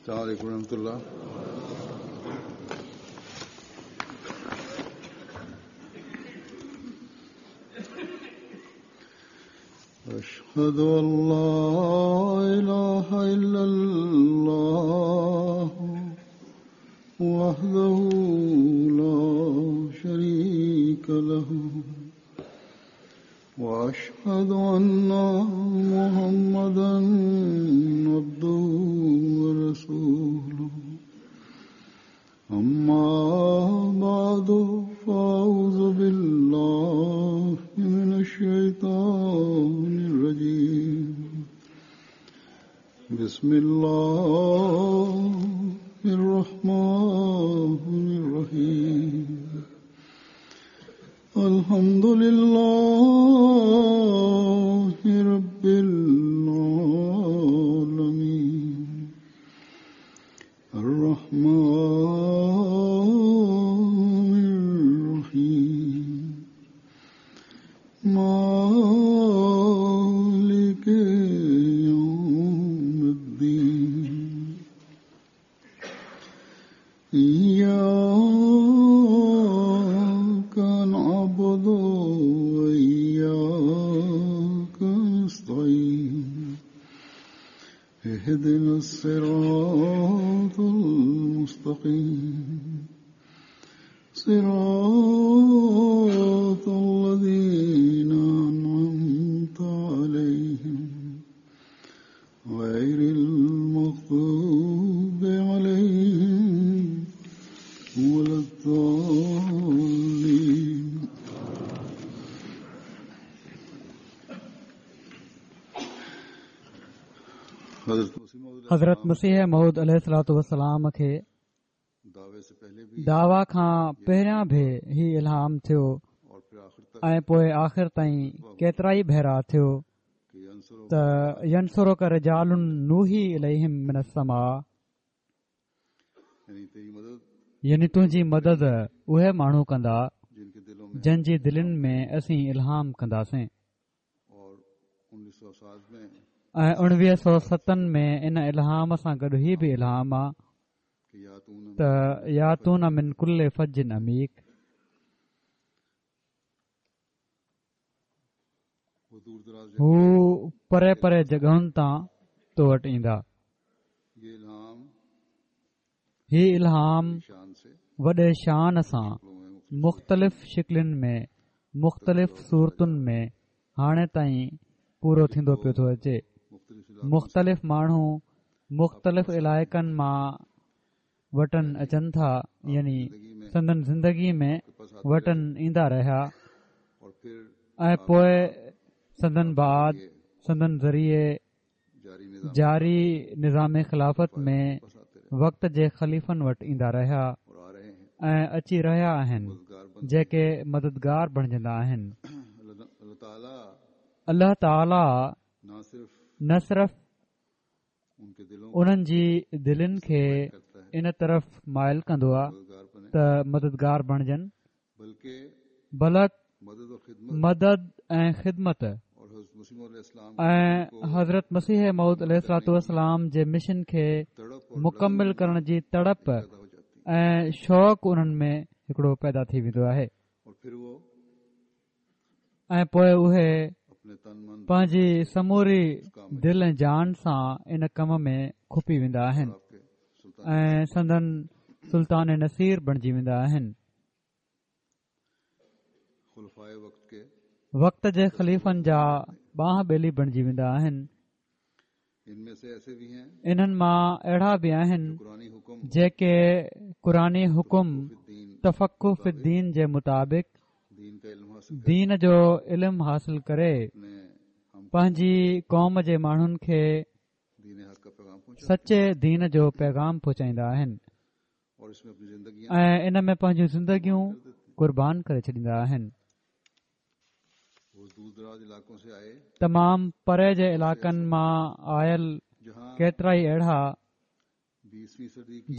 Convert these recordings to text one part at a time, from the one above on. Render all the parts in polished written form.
السلام عليڪم ورحمة الله. اشهد ان لا اله الا الله وحده لا شريك له واشهد ان محمدا عبده ورسوله اما بعد فاعوذ بالله من الشيطان الرجيم بسم الله الرحمن الرحيم الحمد لله رب العالمين الرحمن الرحيم مالك يوم الدين إياك نعبد وإياك نستعين اهدنا الصراط المستقيم صراط الذين أنعمت عليهم غير المغضوب عليهم ولا الضالين. حضرت مسيح موعود عليه الصلوة والسلام کي دعويٰ کان پهريان به هي الهام ٿيو ۽ پوء آخر تائين ڪيترائي ڀيرا ٿيو ته ينصرڪ رجال نوحي اليهم من السماء يعني تنهنجي مدد اهي ماڻهو ڪندا جن جي دلين ۾ اسين الهام ڪنداسين ۽ اڻويهه سو ستن ۾ ان الهام سان گڏ هي به الهام آ ته ياتون من ڪل فج عميق هو پري پري جڳهن تان تو وٽ ايندا. هي الهام وڏي شان سان مختلف شڪلين ۾ مختلف صورتن ۾ هاڻي تائين پورو ٿيندو پيو ٿو اچي. مختلف ماڻهو مختلف علائقن مان وٽن اچن ٿا يعني سندن زندگي ۾ وٽن ايندا رهيا ۽ پوء سندن بعد سندن ذريعي جاري نظام خلافت ۾ وقت جي خليفن وٽ ايندا رهيا ۽ اچي رهيا آهن جيڪي مددگار بڻجندا آهن. الله تعاليٰ نه صرف انهن جي دلين کي ان طرف مائل ڪندو آهي ته مددگار بڻجن بلڪ مدد ۽ خدمت ۽ حضرت مسيح موعود عليه الصلوة والسلام جي مشن کي مڪمل ڪرڻ جي تڙپ ۽ شوق انهن ۾ هڪڙو پيدا ٿي ويندو آهي. ۽ پوء اهي پنهنجي سموري دل ۽ جان سان ان ڪم ۾ کپي ويندا آهن ۽ سندن سلطان نصير بڻجي ويندا آهن. وقت جي خليفن جا ٻانهن ٻيلي بڻجي ويندا آهن. انهن مان اهڙا به آهن جيڪي قرآني حڪم تفقه في الدين جي مطابق دين جو علم حاصل ڪري پنهنجي قوم جي ماڻهن کي سچي دين جو پيغام پهچائيندا آهن ۽ ان ۾ پنهنجون زندگيون قربان ڪري ڇڏيندا آهن. تمام پري جي علائقن مان آيل ڪيترائي اهڙا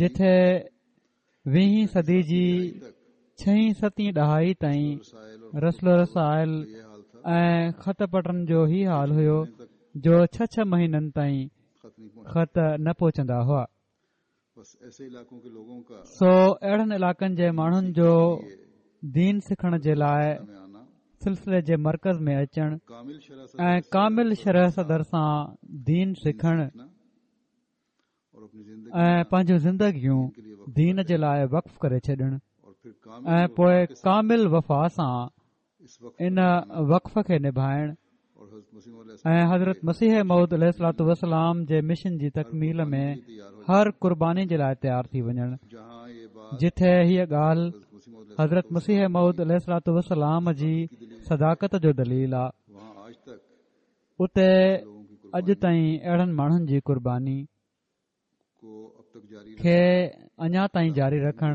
جتي ويهين صدي جي ڇهين ستين ڏهائي تائين رسل و رسائل ۽ خط پٽن جو هي حال هيو جو ڇهه ڇهه مهينن تائين خط نه پهچندا هئا. سو اهڙن علائقن جي ماڻهن جو دين سکڻ جي لاء سلسلي جي مرڪز ۾ اچڻ ۽ ڪامل شرح صدر سان دين سکڻ ۽ پنهنجون زندگيون دين جي لاء وقف ڪري ڇڏڻ ۽ پوء ڪامل وفا سان ان وقف کي نڀائڻ ۽ حضرت مسيح موعود عليه الصلوة والسلام جي مشن جي تڪميل ۾ هر قرباني جي لاء تيار ٿي وڃڻ جٿي هيء ڳالهه حضرت مسيح موعود عليه الصلوة والسلام جي صداقت جو دليل آ اتي اڄ تائين اهڙن ماڻهن جي قرباني کي اڃا تائين جاري رکڻ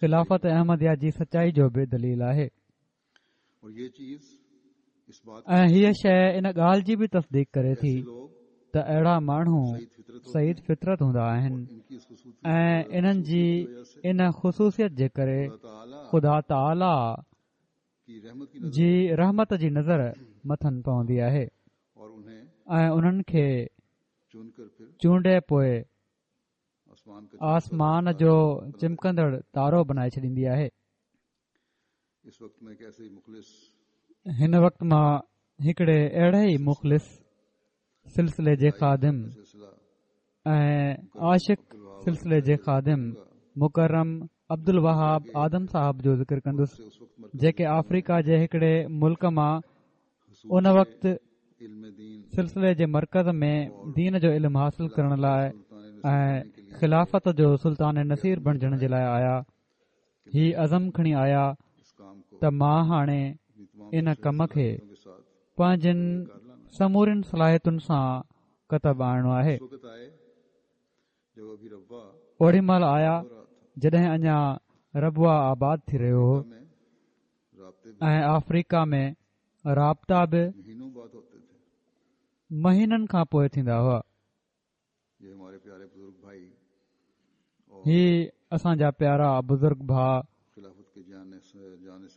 خلافت احمديه جي سچائي جو به دليل آهي ۽ هيء شيء ان ڳالهه جي به تصديق ڪري ٿي ته اهڙا ماڻهو سعيد فطرت هوندا آهن ۽ انهن جي ان خصوصيت جي ڪري خدا تعاليٰ جي رحمت جي نظر مٿن پوندي آهي ۽ انهن کي چونڊي پوء آسمان جو چمڪندڙ تارو بنائي ڇڏيندي آهي. هن وقت مان هڪڙي اهڙي ئي مخلص سلسلي جي خادم ۽ عاشق سلسلي جي خادم مڪرم عبدالوهاب آدم صاحب جو ذڪر ڪندس جيڪي آفريڪا جي هڪڙي ملڪ مان ان وقت سلسلي جي مرڪز ۾ دين جو علم حاصل ڪرڻ لاء ۽ خلافت جو سلطان نصير بڻجڻ جي لاء آيا هي عزم کڻي آيا ته مان هاڻي ان ڪم کي پنهنجين سمورين صلاحيتن سان ڪتب آڻڻو آهي. اوڏي مهل آيا جڏهن اڃا ربوه آباد ٿي رهيو هو ۽ آفريڪا ۾ رابطا به مهينن کان پوء ٿيندا هئا. هي اسان جا پيارا بزرگ ڀاء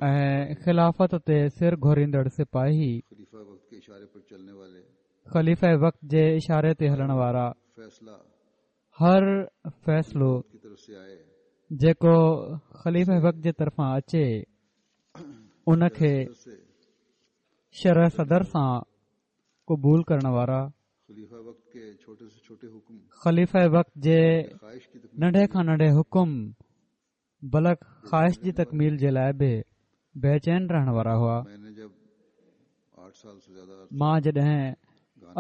۽ خلافت تي سر گهوريندڙ سپاهي خليفه وقت جي اشاري تي هلڻ وارا هر فيصلو جيڪو خليفه وقت جي طرفان اچي ان کي شرح صدر سان قبول ڪرڻ وارا خليفه وقت جي ننڍي کان ننڍي حڪم بلڪ خواهش جي تڪميل جي لاء به بيچين رهڻ وارا هئا. مان جڏهن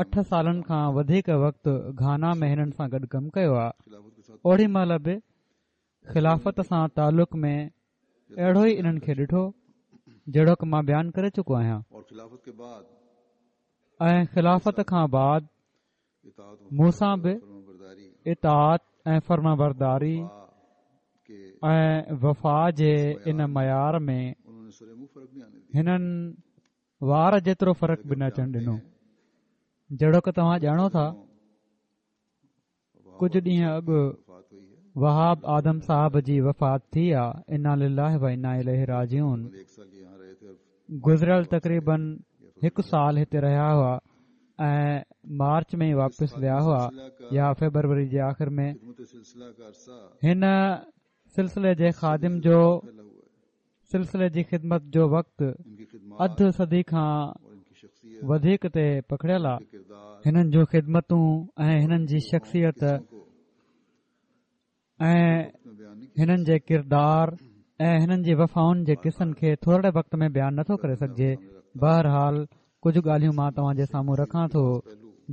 اٺ سالن کان وڌيڪ وقت گهانا ۾ هنن سان گڏ ڪم ڪيو آ اوڏي مهل به خلافت سان تعلق ۾ اهڙو ئي انهن کي ڏٺو جهڙوڪ مان بيان ڪري چڪو آهيان ۽ خلافت کان بعد مون سان به اطاعت ۽ فرمانبرداري ۽ وفا جي ان معيار ۾ هنن وار جيترو فرق به نه اچڻ ڏنو جهڙوڪ توهان ڄاڻو ٿا ڪجهه ڏينهن اڳ وهاب آدم صاحب جي وفات ٿي آ انا لله و انا اليه راجعون گذريل تقريبن هڪ سال هتي رهيا هئا ۽ مارچ ۾ ئي واپس ويا هئا يا فيبروري جي آخر ۾ هن سلسلي جي خادم جو سلسلي جي خدمت جو وقت اڌ صدي کان وڌيڪ تي پکڙيل آ. هنن جون خدمتون ۽ هنن جي شخصيت ۽ هنن جي ڪردار ۽ هنن جي وفائن جي قصن کي ٿورڙي وقت ۾ بيان نٿو ڪري سگهجي. بهرحال ڪجهه ڳالهيون مان توهان جي سامهون رکان ٿو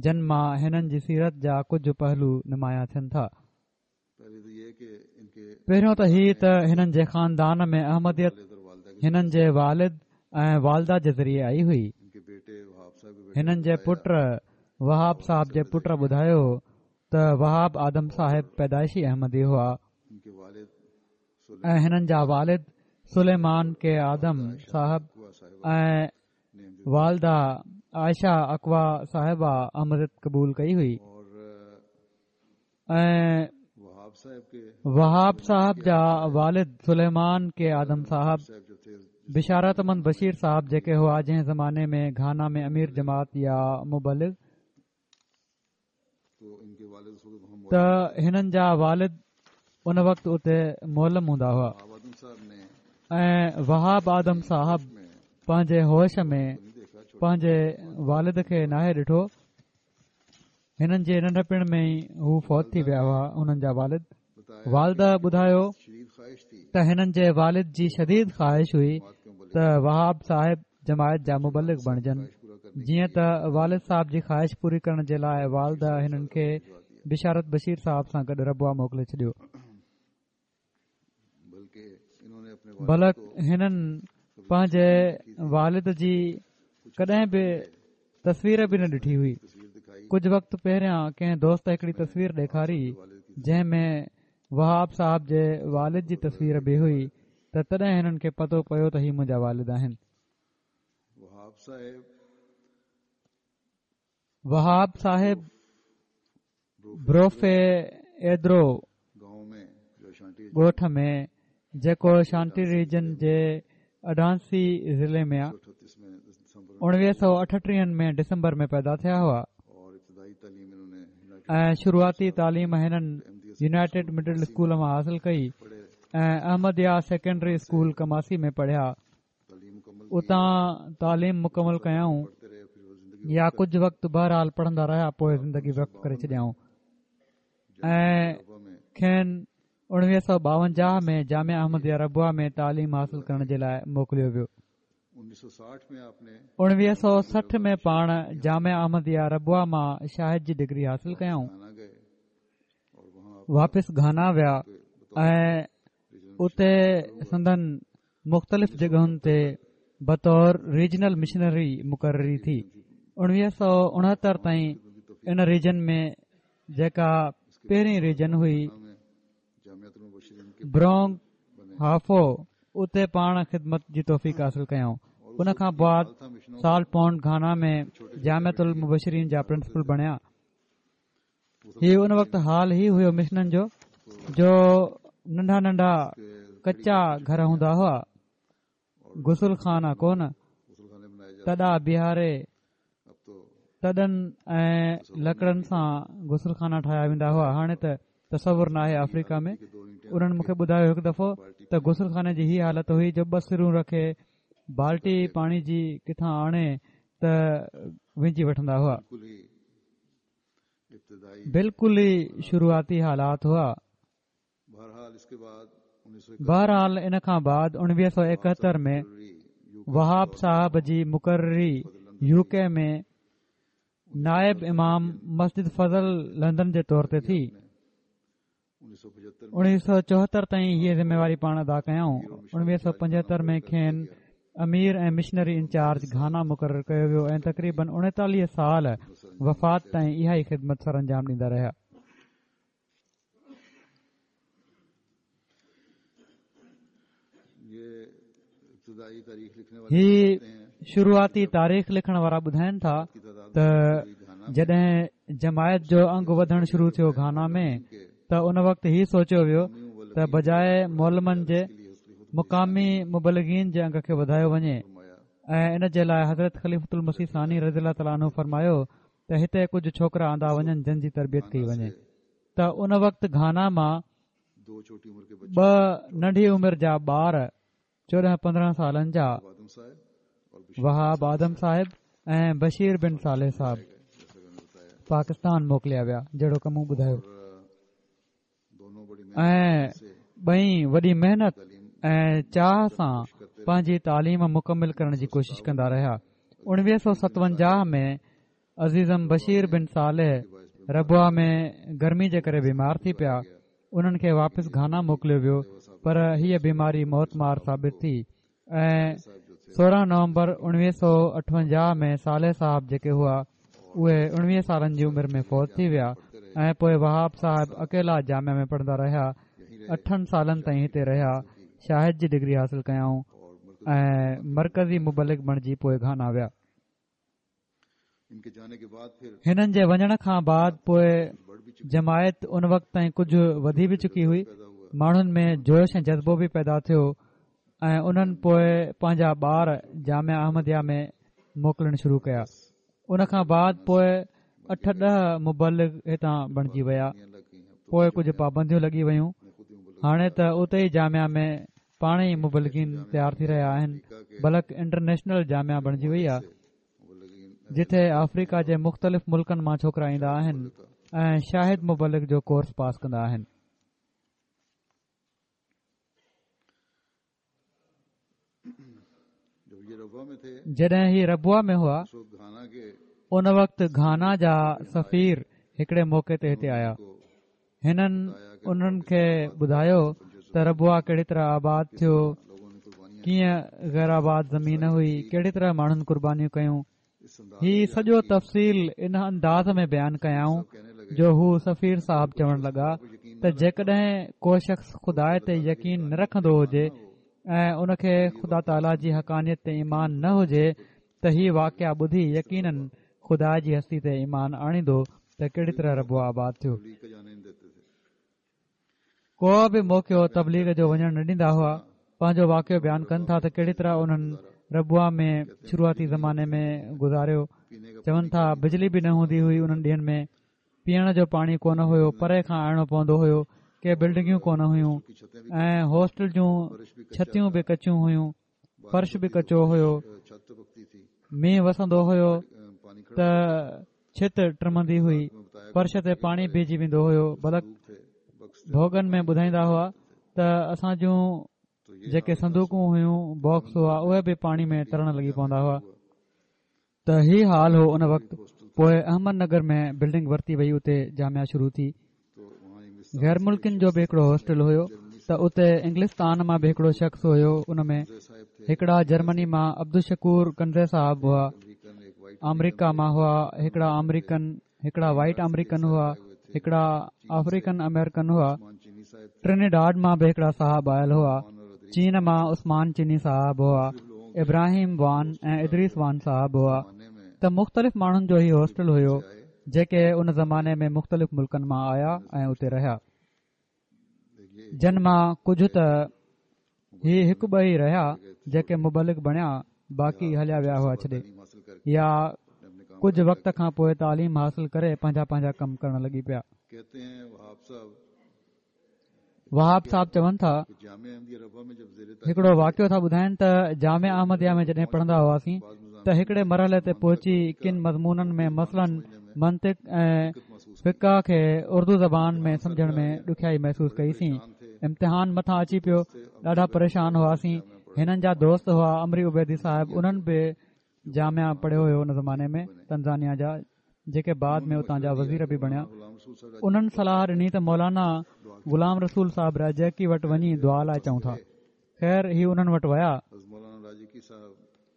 جن مان هنن جي سيرت جا ڪجهه پهلو نمايان ٿين ٿا. پهريون ته هي ته هنن جي خاندان ۾ احمديت هنن جي والد ۽ والده جي ذريعي آئي هئي. هنن جي پٽ وهاب صاحب جي پٽ ٻڌايو ته وهاب آدم صاحب پيدائشي احمدي هئا ۽ هنن جا والد سليمان ڪي آدم صاحب ۽ والده عائشه اڪوا صاحبه احمديت قبول ڪئي هئي. ۽ وهاب صاحب جا والد سليمان ڪي آدم صاحب بشارت احمد بشير صاحب جيڪي هئا جنهن زماني ۾ گهانا ۾ امير جماعت يا مبلغ ته هنن جا والد ان وقت اتي معلم هوندا هئا ۽ وهاب آدم صاحب پنهنجي هوش ۾ پنهنجي والد کي ناهي ڏٺو. هنن جي ننڍپڻ ۾ ئي هو فوت ٿي ويا هئا. هنن جا والد والده ٻڌايو ته هنن جي والد جي شديد خواهش هئي ته وهاب صاحب جماعت جا مبلغ بڻجن. جيئن ته والد صاحب جي خواهش پوري ڪرڻ جي لاء والده هنن کي بشارت بشير صاحب سان گڏ ربوه موڪلي ڇڏيو. بلڪ هنن پنهنجي والد جي ڪڏهن به تصوير به نه ڏٺي هئي. ڪجهه وقت پهريان ڪنهن دوست هڪڙي تصوير ڏيکاري جنهن ۾ وهاب صاحب جي والد جي تصوير به هئي ته تڏهن هنن کي پتو پيو ته هي منهنجا والد آهن. وهاب صاحب بروفي ايدرو ڳوٺ ۾ جيڪو اشانٽي ريجن جي اڊانسي ضلعي ۾ آ 1938 ۾ ڊسمبر ۾ پيدا ٿيا هئا ۽ شروعاتي تعليم هنن يونائيٽيڊ مڊل اسڪول مان حاصل ڪئي ۽ احمديه سيڪنڊري اسڪول ڪماسي ۾ پڙهيا اتان تعليم مڪمل ڪيائون يا ڪجهه وقت بهرحال پڙهندا رهيا پوء زندگي وقف ڪري ڇڏيائون ۽ کين 1952 ۾ جامعه احمديه ربوه ۾ تعليم حاصل ڪرڻ جي لاء موڪليو ويو. 1960 ۾ پاڻ جامعه احمديه ربوه مان شاهد جي ڊگري حاصل ڪيائون. واپس گهانا ويا ۽ اتي سندن مختلف جڳهن تي بطور ريجنل مشنري مقرري ٿي. 1969 تائين ان ريجن ۾ جيڪا پهرين ريجن هئي برونگ هافو اتي پاڻ خدمت جي توفيق حاصل ڪيائون. ان کان بعد سالٽ پونڊ گهانا ۾ جامعة المبشرين جا پرنسپل بڻيا. هي ان وقت حال هي هيو مشنن جو جو ننڍا ننڍا ڪچا گهر هوندا هئا غسل خانا ڪونه تڏا بيهاري تڏن ۽ لڪڙن سان غسل خانا ٺاهيا ويندا هئا هاڻي ته تصور ناهي آفريڪا ۾ انهن مونکي ٻڌايو هڪ دفعو ته غسل خاني جي هي حالت هئي جو ٻه سرون رکي بالٽي پاڻي جي ڪٿان آڻي ته وهنجي وٺندا هئا بلڪل ئي شروعاتي حالات هئا. بهرحال ان کان بعد 1971 ۾ وهاب صاحب جي مقرري يو ڪي ۾ نائب امام مسجد فضل لندن جي طور تي ٿي. 1974 تائين هيء ذميواري پاڻ ادا ڪيائون. 1975 ۾ کين امير ۽ مشنري انچارج گهانا مقرر ڪيو ويو ۽ تقريبن 39 سال وفات تائين اها ئي خدمت سرانجام ڏيندا رهيا. هي شروعاتي تاريخ لکڻ وارا ٻڌائن ٿا ته جڏهن جماعت جو انگ وڌڻ شروع ٿيو گهانا ۾ ته ان وقت هي سوچيو ويو ته بجاء معلمن جي مقامي مبلغين جي انگ کي وڌايو وڃي ۽ ان جي لاء حضرت خليفة المسيح ثاني رضي الله تعاليٰ عنه فرمايو ته هتي ڪجهه ڇوڪرا آندا وڃن جن جي تربيت ڪئي وڃي ته ان وقت گهانا مان ٻه ننڍي عمر جا ٻار 14 15 سالن جا وهاب آدم صاحب ۽ بشير بن صالح صاحب پاڪستان موڪليا ويا جهڙوڪ مون ٻڌايو ۽ ٻئي وڏي محنت ۽ چاهه سان پنهنجي تعليم مڪمل ڪرڻ جي ڪوشش ڪندا رهيا 1957 ۾ عزيزم بشير بن صالح ربوه ۾ گرمي جي ڪري بيمار ٿي پيا انهن کي واپس گهانا موڪليو ويو پر هيء بيماري موتمار ثابت ٿي ۽ 16 نومبر 1958 ۾ صالح صاحب جيڪي هئا اهي 19 سالن جي عمر ۾ فوت ٿي ويا ۽ پوء وهاب صاحب اڪيلا جامعه ۾ پڙهندا رهيا اٺن سالن تائين هتي رهيا شاهد جي ڊگري حاصل ڪيائون ۽ مرڪزي مبلغ بڻجي پوء گهانا ويا هنن جي وڃڻ کان بعد پوء جماعت ان وقت تائين ڪجهه وڌي به چڪي هئي ماڻهن ۾ جوش ۽ جذبو به پيدا ٿيو ۽ انهن پوء پنهنجا ٻار جامعه احمديه ۾ موڪلڻ شروع ڪيا ان کان بعد پوء اٺ ڏهه مبلغ هتان بڻجي ويا پوء ڪجهه پابنديون لڳي ويون. هاڻي ته اتي ئي جامعه ۾ پاڻ ئي مبلغين تيار ٿي رهيا آهن بلڪ انٽرنيشنل جامعه بڻجي وئي آهي جتي آفريڪا جي مختلف ملڪن مان ڇوڪرا ايندا آهن ۽ شاهد مبلغ جو ڪورس پاس ڪندا آهن. جڏهن هي ربوه ۾ هئا ان وقت گهانا جا سفير هڪڙي موقعي تي هتي آيا هنن انهن کي ٻڌايو ته ربوه ڪهڙي طرح آباد ٿيو، ڪيئن غير آباد زمين هئي، ڪهڙي طرح ماڻهن قربانيون ڪيون. هي سڄو تفصيل ان انداز ۾ بيان ڪيائون جو هو سفير صاحب چوڻ لڳا ته جيڪڏهن ڪو شخص خدا تي يقين نه رکندو هجي ۽ ان کي خدا تعاليٰ جي حقانيت تي ايمان نه هجي ته هي واقعا ٻڌي يقيناً خدا جي هستي تي ايمان آڻيندو ته ڪهڙي طرح ربوه آباد ٿيو. ڪو به موقعو تبليغ جو وڃڻ نه ڏيندا هئا. پنهنجو واقعو بيان ڪن ٿا ته ڪهڙي طرح انهن ربوه ۾ شروعاتي زماني ۾ گذاريو. چون ٿا بجلي به نه هوندي هئي انهن ڏينهن ۾ پيئڻ جو پاڻي ڪونه هيو پري کان آڻڻو پوندو هيو ڪي بلڊنگيون ڪونه هيون ۽ هاسٽل جون ڇتيون به ڪچيون هيون فرش به ڪچو هيو مينهن وسندو هيو ته ڇت ٽمندي هئي فرش تي پاڻي بيهجي ويندو هيو بلڪ ڀوڳن ۾ ٻڌائيندا هئا ته اسان جون جيڪي صندوقون هيون باڪس هئا اهي به پاڻي ۾ ترڻ لڳي پوندا هئا ته هي حال هو ان وقت پوء احمد نگر ۾ بلڊنگ ورتي وئي اتي جامعه شروع ٿي غير ملڪين جو به هڪڙو هاسٽل هيو ته اتي انگلستان مان به هڪڙو شخص هيو ان ۾ هڪڙا جرمني مان عبدالشڪور ڪنزي صاحب هئا آمريڪا مان هئا هڪڙا آمريڪن هڪڙا وائيٽ آمريڪن هئا هڪڙا آفريڪن آمريڪن هئا ٽرنيڊاڊ مان به هڪڙا صاحب آيل هئا چين مان عثمان چيني صاحب هئا ابراهيم وان ۽ ادريس وان صاحب هئا ته مختلف ماڻهن جو هي هاسٽل هيو جيڪي ان زماني ۾ مختلف ملڪن مان آيا ۽ اتي رهيا جن مان ڪجهه ته هي هڪ ٻه ئي رهيا جيڪي مبلغ بڻيا باقي هليا ويا هئا ڇڏي يا ڪجهه وقت کان پوء تعليم حاصل ڪري پنهنجا پنهنجا ڪم ڪرڻ لڳي پيا. وهاب صاحب چون ٿا هڪڙو واقعو ٿا ٻڌائن ته جامعه احمديه ۾ جڏهن پڙهندا هئاسين ته هڪڙي مرحلي تي پهچي ڪن مضمونن ۾ مثلاً منطق ۽ فقه کي اردو زبان ۾ سمجهڻ ۾ ڏکيائي محسوس ڪئي سين امتحان مٿان اچي پيو ڏاڍا پريشان هئاسين هنن جا دوست هئا عمري عبيدي صاحب انهن به جامعه پڙهيو هيو ان زماني ۾ تنزانيا جا جيڪي بعد ۾ اتان جا وزير به بڻيا انهن صلاح ڏني ته مولانا غلام رسول صاحب راجڪي وٽ وڃي دعا لاء چئون ٿا خير هي انهن وٽ ويا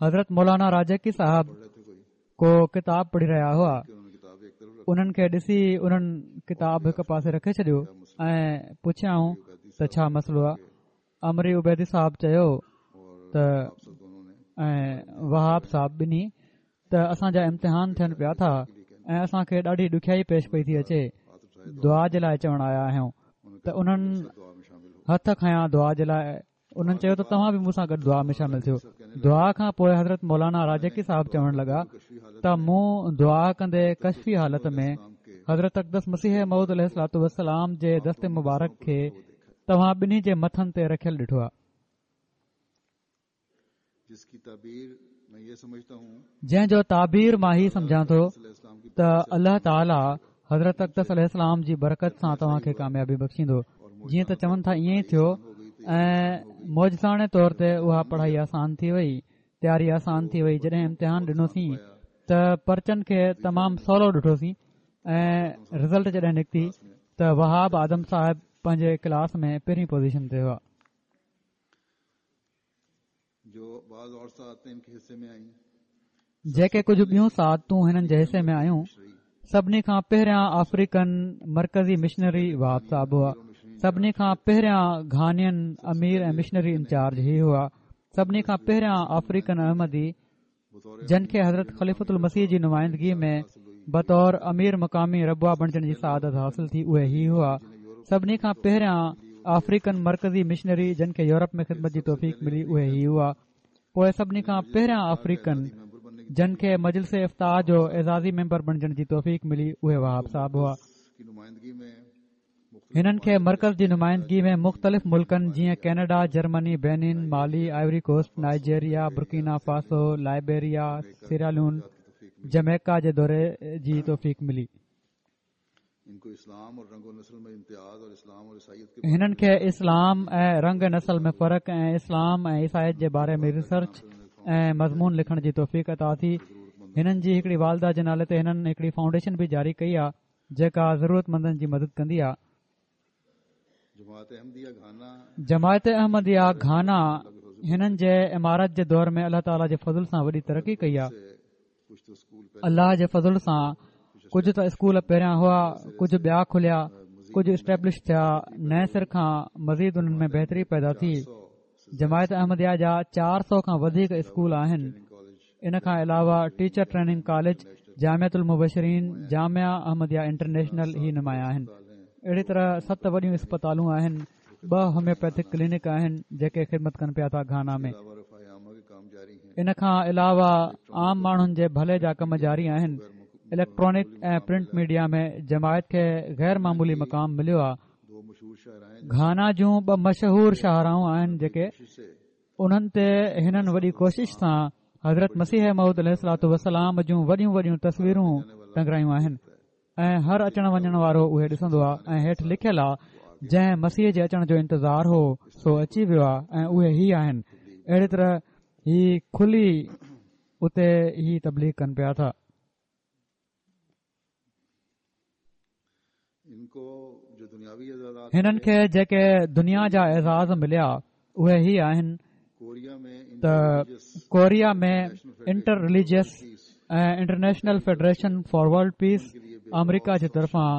حضرت مولانا راجڪي صاحب ڪو ڪتاب پڙهي رهيا هئا انهن کي ڏسي انهن ڪتاب هڪ پاسي رکي ڇڏيو ۽ پڇيائون ته ڇا مسئلو آهي عمري عبيدي صاحب چيو ته ۽ وهاب صاحب ٻنهي ته اسان جا امتحان ٿين پيا ٿا ۽ اسان کي ڏاڍي ڏکيائي پيش پئي ٿي اچي دعا جي لاء چوڻ آيا آهيون ته انهن هٿ کنيا دعا جي لاء انهن چيو ته توهان به مون سان گڏ دعا ۾ شامل ٿيو. دعا کان پوء حضرت مولانا راجڪي صاحب چوڻ لڳا ته مون دعا ڪندي ڪشفي حالت ۾ حضرت اقدس مسيح موعود عليه الصلوة والسلام جي دست مبارڪ کي توهان ٻنهي جي مٿن تي رکيل ڏٺو آهي. جنهن جو تعبير مان هي سمجهان ٿو ته الله تعاليٰ حضرت اقدس عليه السلام جي برڪت سان توهان کي ڪاميابي بخشيندو جيئن ته چون ٿا ائين ئي ٿيو ۽ معجزاڻي طور تي اها پڙهائي آسان ٿي وئي تياري آسان ٿي وئي جڏهن امتحان ڏنوسين ته پرچن کي تمام سولو ڏٺوسين ۽ رزلٽ جڏهن نڪتي ته وهاب آدم صاحب پنهنجي ڪلاس ۾ پهرين پوزيشن تي هئا جيڪي ڪجهه ٻيون سعادتون هنن جي حصي ۾ آيون، سڀني کان پهريان آفريڪن مرڪزي مشنري وهاب صاحب هئا، سڀني کان پهريان گهانين امير ۽ مشنري انچارج هي هئا، سڀني کان پهريان آفريڪن احمدي جن کي حضرت خليفة المسيح جي نمائندگي ۾ بطور امير مقامي ربوه بڻجڻ جي سعادت حاصل ٿي اهي هي هئا سڀني کان پهريان آفريڪن مرڪزي مشنري جن کي يورپ ۾ خدمت جي توفيق ملي اهي هي هئا پوء سڀني کان پهريان آفريڪن جن کي مجلس افتاء جو اعزازي ميمبر بڻجڻ جي توفيق ملي اهي وهاب صاحب هئا. هنن کي مرڪز جي نمائندگي ۾ مختلف ملڪن جيئن Canada, Germany, Benin, Mali, Ivory Coast, Nigeria, Burkina Faso, Liberia, Sierra Leone, Jamaica جي دوري جي توفيق ملي. هنن کي اسلام ۽ رنگ نسل ۾ فرق ۽ اسلام ۽ عيسائيت جي باري ۾ ريسرچ ۽ مضمون لکڻ جي توفيق عطا ٿي. هنن جي هڪڙي والده جي نالي تي هنن هڪڙي فائونڊيشن به جاري ڪئي آهي. جيڪا ضرورتمندن جي مدد ڪندي آ. جماعت احمديه گهانا هنن جي امارت جي دور ۾ الله تعاليٰ جي فضل سان وڏي ترقي ڪئي آ. الله جي فضل سان ڪجهه ته اسڪول پهريان هئا ڪجهه ٻيا کليا ڪجهه اسٽيبلش ٿيا نئين سر کان مزيد انهن ۾ بهتري پيدا ٿي. جماعت احمديه جا 400 کان وڌيڪ اسڪول آهن. ان کان علاوه ٽيچر ٽريننگ ڪاليج، جامعة المبشرين، جامعه احمديه انٽرنيشنل هي نمايان آهن. اهڙي طرح ست وڏيون اسپتالون آهن، ٻه هوميوپيٿڪ ڪلينڪ آهن جيڪي خدمت ڪن پيا ٿا گهانا ۾. ان کان علاوه عام ماڻهن جي ڀلي جا ڪم جاري آهن. اليڪٽرانڪ ۽ پرنٽ ميڊيا ۾ جماعت کي غير معمولي مقام مليو آهي. گهانا جون ٻه مشهور شاهراهون آهن جيڪي انهن تي هنن وڏي ڪوشش سان حضرت مسيح موعود عليه الصلوة والسلام جون وڏيون وڏيون تصويرون ٽنگرايون آهن ۽ هر اچڻ وڃڻ وارو اهي ڏسندو آهي ۽ هيٺ لکيل آهي جنهن مسيح جي اچڻ جو انتظار هو سو اچي ويو آهي ۽ اهي هي آهن اهڙي طرح هي کلي اتي هي تبليغ ڪن پيا ٿا. هنن کي جيڪي دنيا جا اعزاز مليا اهي هي آهن ته Korea ۾ inter religious ۽ international federation for world peace آمريڪا جي طرفان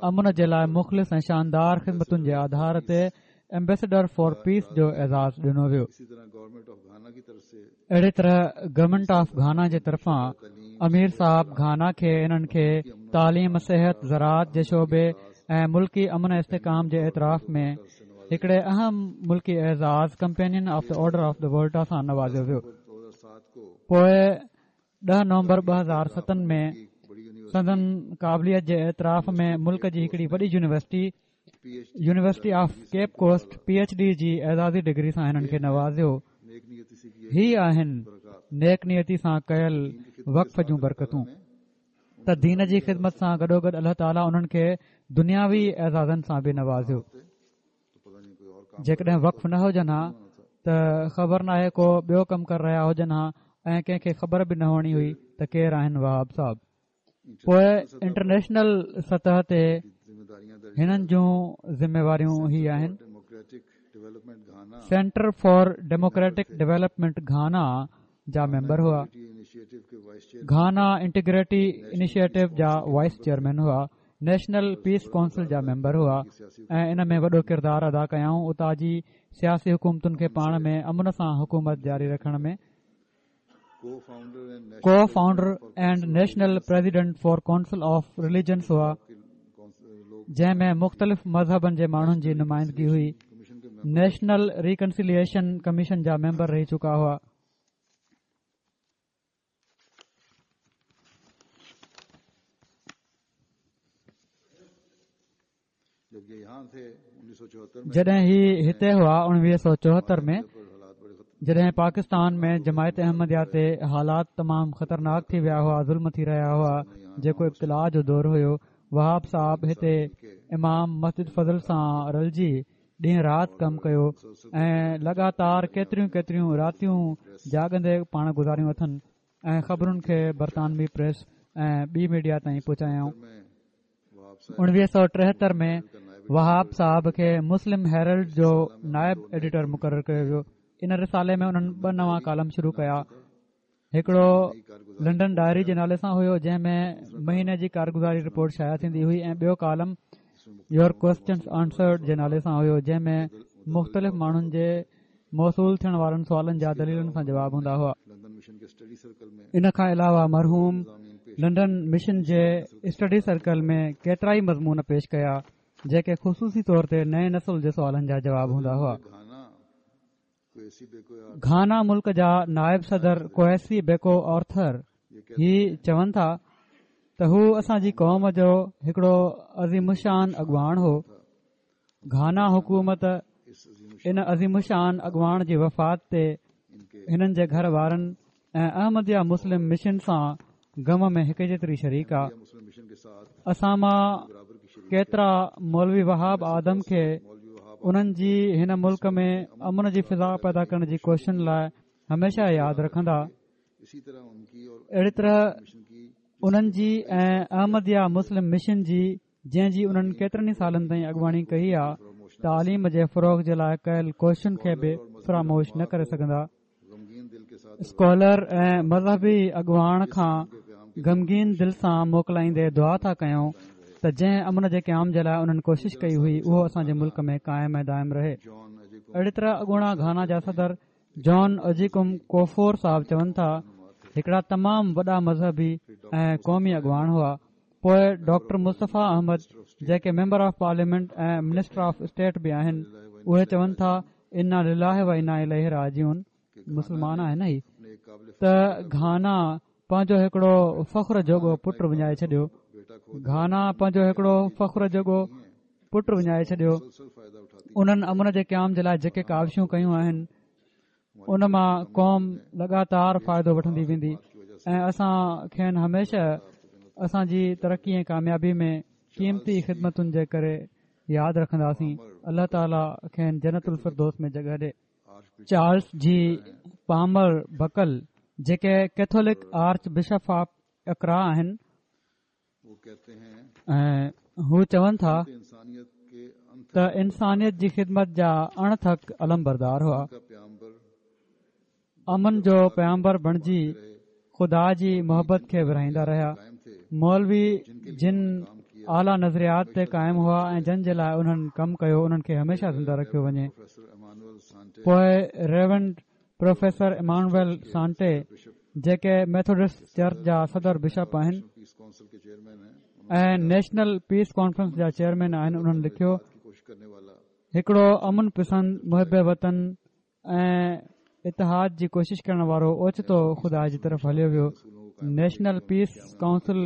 امن جي لاء مخلص ۽ شاندار خدمتن جي آڌار تي ايمبيسڊر فار پيس جو اعزاز ڏنو ويو. اهڙي طرح گورنمينٽ آف گهانا جي طرفان امير صاحب گهانا کي انهن کي تعليم، صحت، زراعت جي شعبي ۽ ملڪي امن ۽ استحڪام جي اعتراف ۾ هڪڙي اهم ملڪي اعزاز companion of the order of the Volta سان نوازيو ويو. پوء 10 نومبر 2007 ۾ سندن قابليت جي اعتراف ۾ ملڪ جي هڪڙي وڏي university university of Cape Coast P H D جي اعزازي ڊگري سان هنن کي نوازيو. هي آهن نيڪ نيتي سان ڪيل وقف جون برڪتون ته دين جي خدمت سان گڏوگڏ الله تعالي انهن کي دنياوي اعزازن سان به نوازيو. جيڪڏهن وقف نه هجن ها ته خبر ناهي ڪو ٻيو ڪم ڪري رهيا هجن ها ۽ ڪنهن کي خبر به نه هئڻي هئي ته ڪير آهن وهاب صاحب. پوء انٽرنيشنل سطح تي هنن جون ذميواريون هي آهن. Centre for democratic development Ghana جا ميمبر هئا. گهانا انٽيگريٽي انيشيٽو جا وائيس چيئرمين هئا. نيشنل پيس ڪائونسل جا ميمبر هئا ۽ ان ۾ وڏو ڪردار ادا ڪيائون اتان جي سياسي حڪومتن کي پاڻ ۾ امن سان حڪومت جاري رکڻ ۾. Co founder and national president for council of religions هئا جنهن ۾ مختلف مذهبن جي ماڻهن جي نمائندگي هئي نيشنل ريڪنسيليئيشن ڪميشن جا ميمبر رهي چڪا هئا جڏهن هي هتي هئا 1974 ۾ جڏهن پاڪستان ۾ جماعت احمديه تي حالات تمام خطرناڪ ٿي ويا هئا ظلم ٿي رهيا هئا جيڪو ابتلاء جو دور هيو وهاب صاحب هتي امام مسجد فضل سان رلجي ڏينهن رات ڪم ڪيو ۽ لڳاتار ڪيتريون ڪيتريون راتيون جاڳندي پاڻ گذاريون اٿن ۽ خبرن کي برطانوي پريس ۽ ٻي ميڊيا تائين پهچايائون 1973 ۾ وهاب صاحب کي مسلم هيرلڊ جو نائب ايڊيٽر مقرر ڪيو ويو ان رسالي ۾ انهن ٻه نوان ڪالم شروع ڪيا هڪڙو لنڊن ڊائري جي نالي سان هيو جنهن ۾ مهيني جي ڪارگذاري رپورٽ شايع ٿيندي هئي ۽ ٻيو ڪالم your questions answered جي نالي سان هيو جنهن ۾ مختلف ماڻهن جي موصول ٿيڻ وارن سوالن جا دليلن سان جواب هوندا هئا. ان کان علاوه مرحوم لنڊن مشن جي اسٽڊي سرڪل ۾ ڪيترائي مضمون پيش ڪيا جيڪي خصوصي طور تي نئين نسل جي سوالن جا جواب هوندا هئا. گهانا ملڪ جا نائب صدر ڪويسي بيڪو آرٿر هي چون ٿا ته هو اسان جي قوم جو هڪڙو عظيم الشان اڳواڻ هو. گهانا حڪومت ان عظيم الشان اڳواڻ جي وفات تي هنن جي گهر وارن ۽ احمديه مسلم مشن سان غم ۾ هڪ جيتري شريڪ آ. اسان مان ڪيترا مولوي وهاب آدم کي انهن جي هن ملڪ ۾ امن جي فضا پيدا ڪرڻ جي ڪوششن لاء هميشه ياد رکندا. اهڙي طرح انهن جي ۽ احمديه مسلم مشن جي جنهن جي انهن ڪيترن ئي سالن تائين اڳواڻي ڪئي آ، تعليم جي فروغ جي لاء ڪيل ڪوششن کي به فراموش نه ڪري سگهندا. اسڪالر ۽ مذهبي اڳواڻ کان غمگين دل سان موڪلائيندي دعا ٿا ڪيون ته جنهن امن جي قيام جي لاء انهن ڪوشش ڪئي هئي اهو اسان جي ملڪ ۾ قائم ۽ دائم رهي. اهڙي طرح اڳوڻا گهانا جا صدر جان اجيڪم ڪوفور صاحب چون ٿا، هڪڙا تمام وڏا مذهبي ۽ قومي اڳواڻ هئا. پوء ڊاڪٽر مصطفيٰ احمد جيڪي member of parliament ۽ minister of state به آهن اهي چون ٿا انا لله و انا اليه راجعون مسلمان آهن هي ته گهانا پنهنجو هڪڙو فخر جوڳو پٽ وڃائي ڇڏيو گهانا پنهنجو هڪڙو فخر جوڳو پٽ وڃائي ڇڏيو انهن امن جي قيام جي لاء جيڪي ڪاوشون ڪيون آهن ان مان قوم لڳاتار فائدو وٺندي ويندي ۽ اسان کين هميشه اسان جي ترقي ۽ ڪاميابي ۾ قيمتي خدمتن جي ڪري ياد رکنداسين الله تعالي کين جنت الفردوس ۾ جڳهه ڏي. چارلس جي پامر بڪل جيڪي Catholic arch bishop of Accra آهن ۽ هو چون ٿا ته انسانيت جي خدمت جا اڻ ٿڪ علمبردار هئا امن جو پيامبر بڻجي خدا جي محبت کي ورهائيندا رهيا مولوي جن اعليٰ نظريات تي قائم هئا ۽ جن جي لاء انهن ڪم ڪيو انهن کي هميشه زنده رکيو وڃي پوء ريورنڊ پروفيسر ايمانوئل سانٽي جيڪي ميٿوڊسٽ چرچ جا صدر بشپ آهن ۽ نيشنل پيس ڪانفرنس جا چيئرمين آهن انهن لکيو هڪڙو امن پسند محب وطن ۽ اتحاد جي ڪوشش ڪرڻ وارو اوچتو خدا جي طرف هليو ويو نيشنل پيس ڪائونسل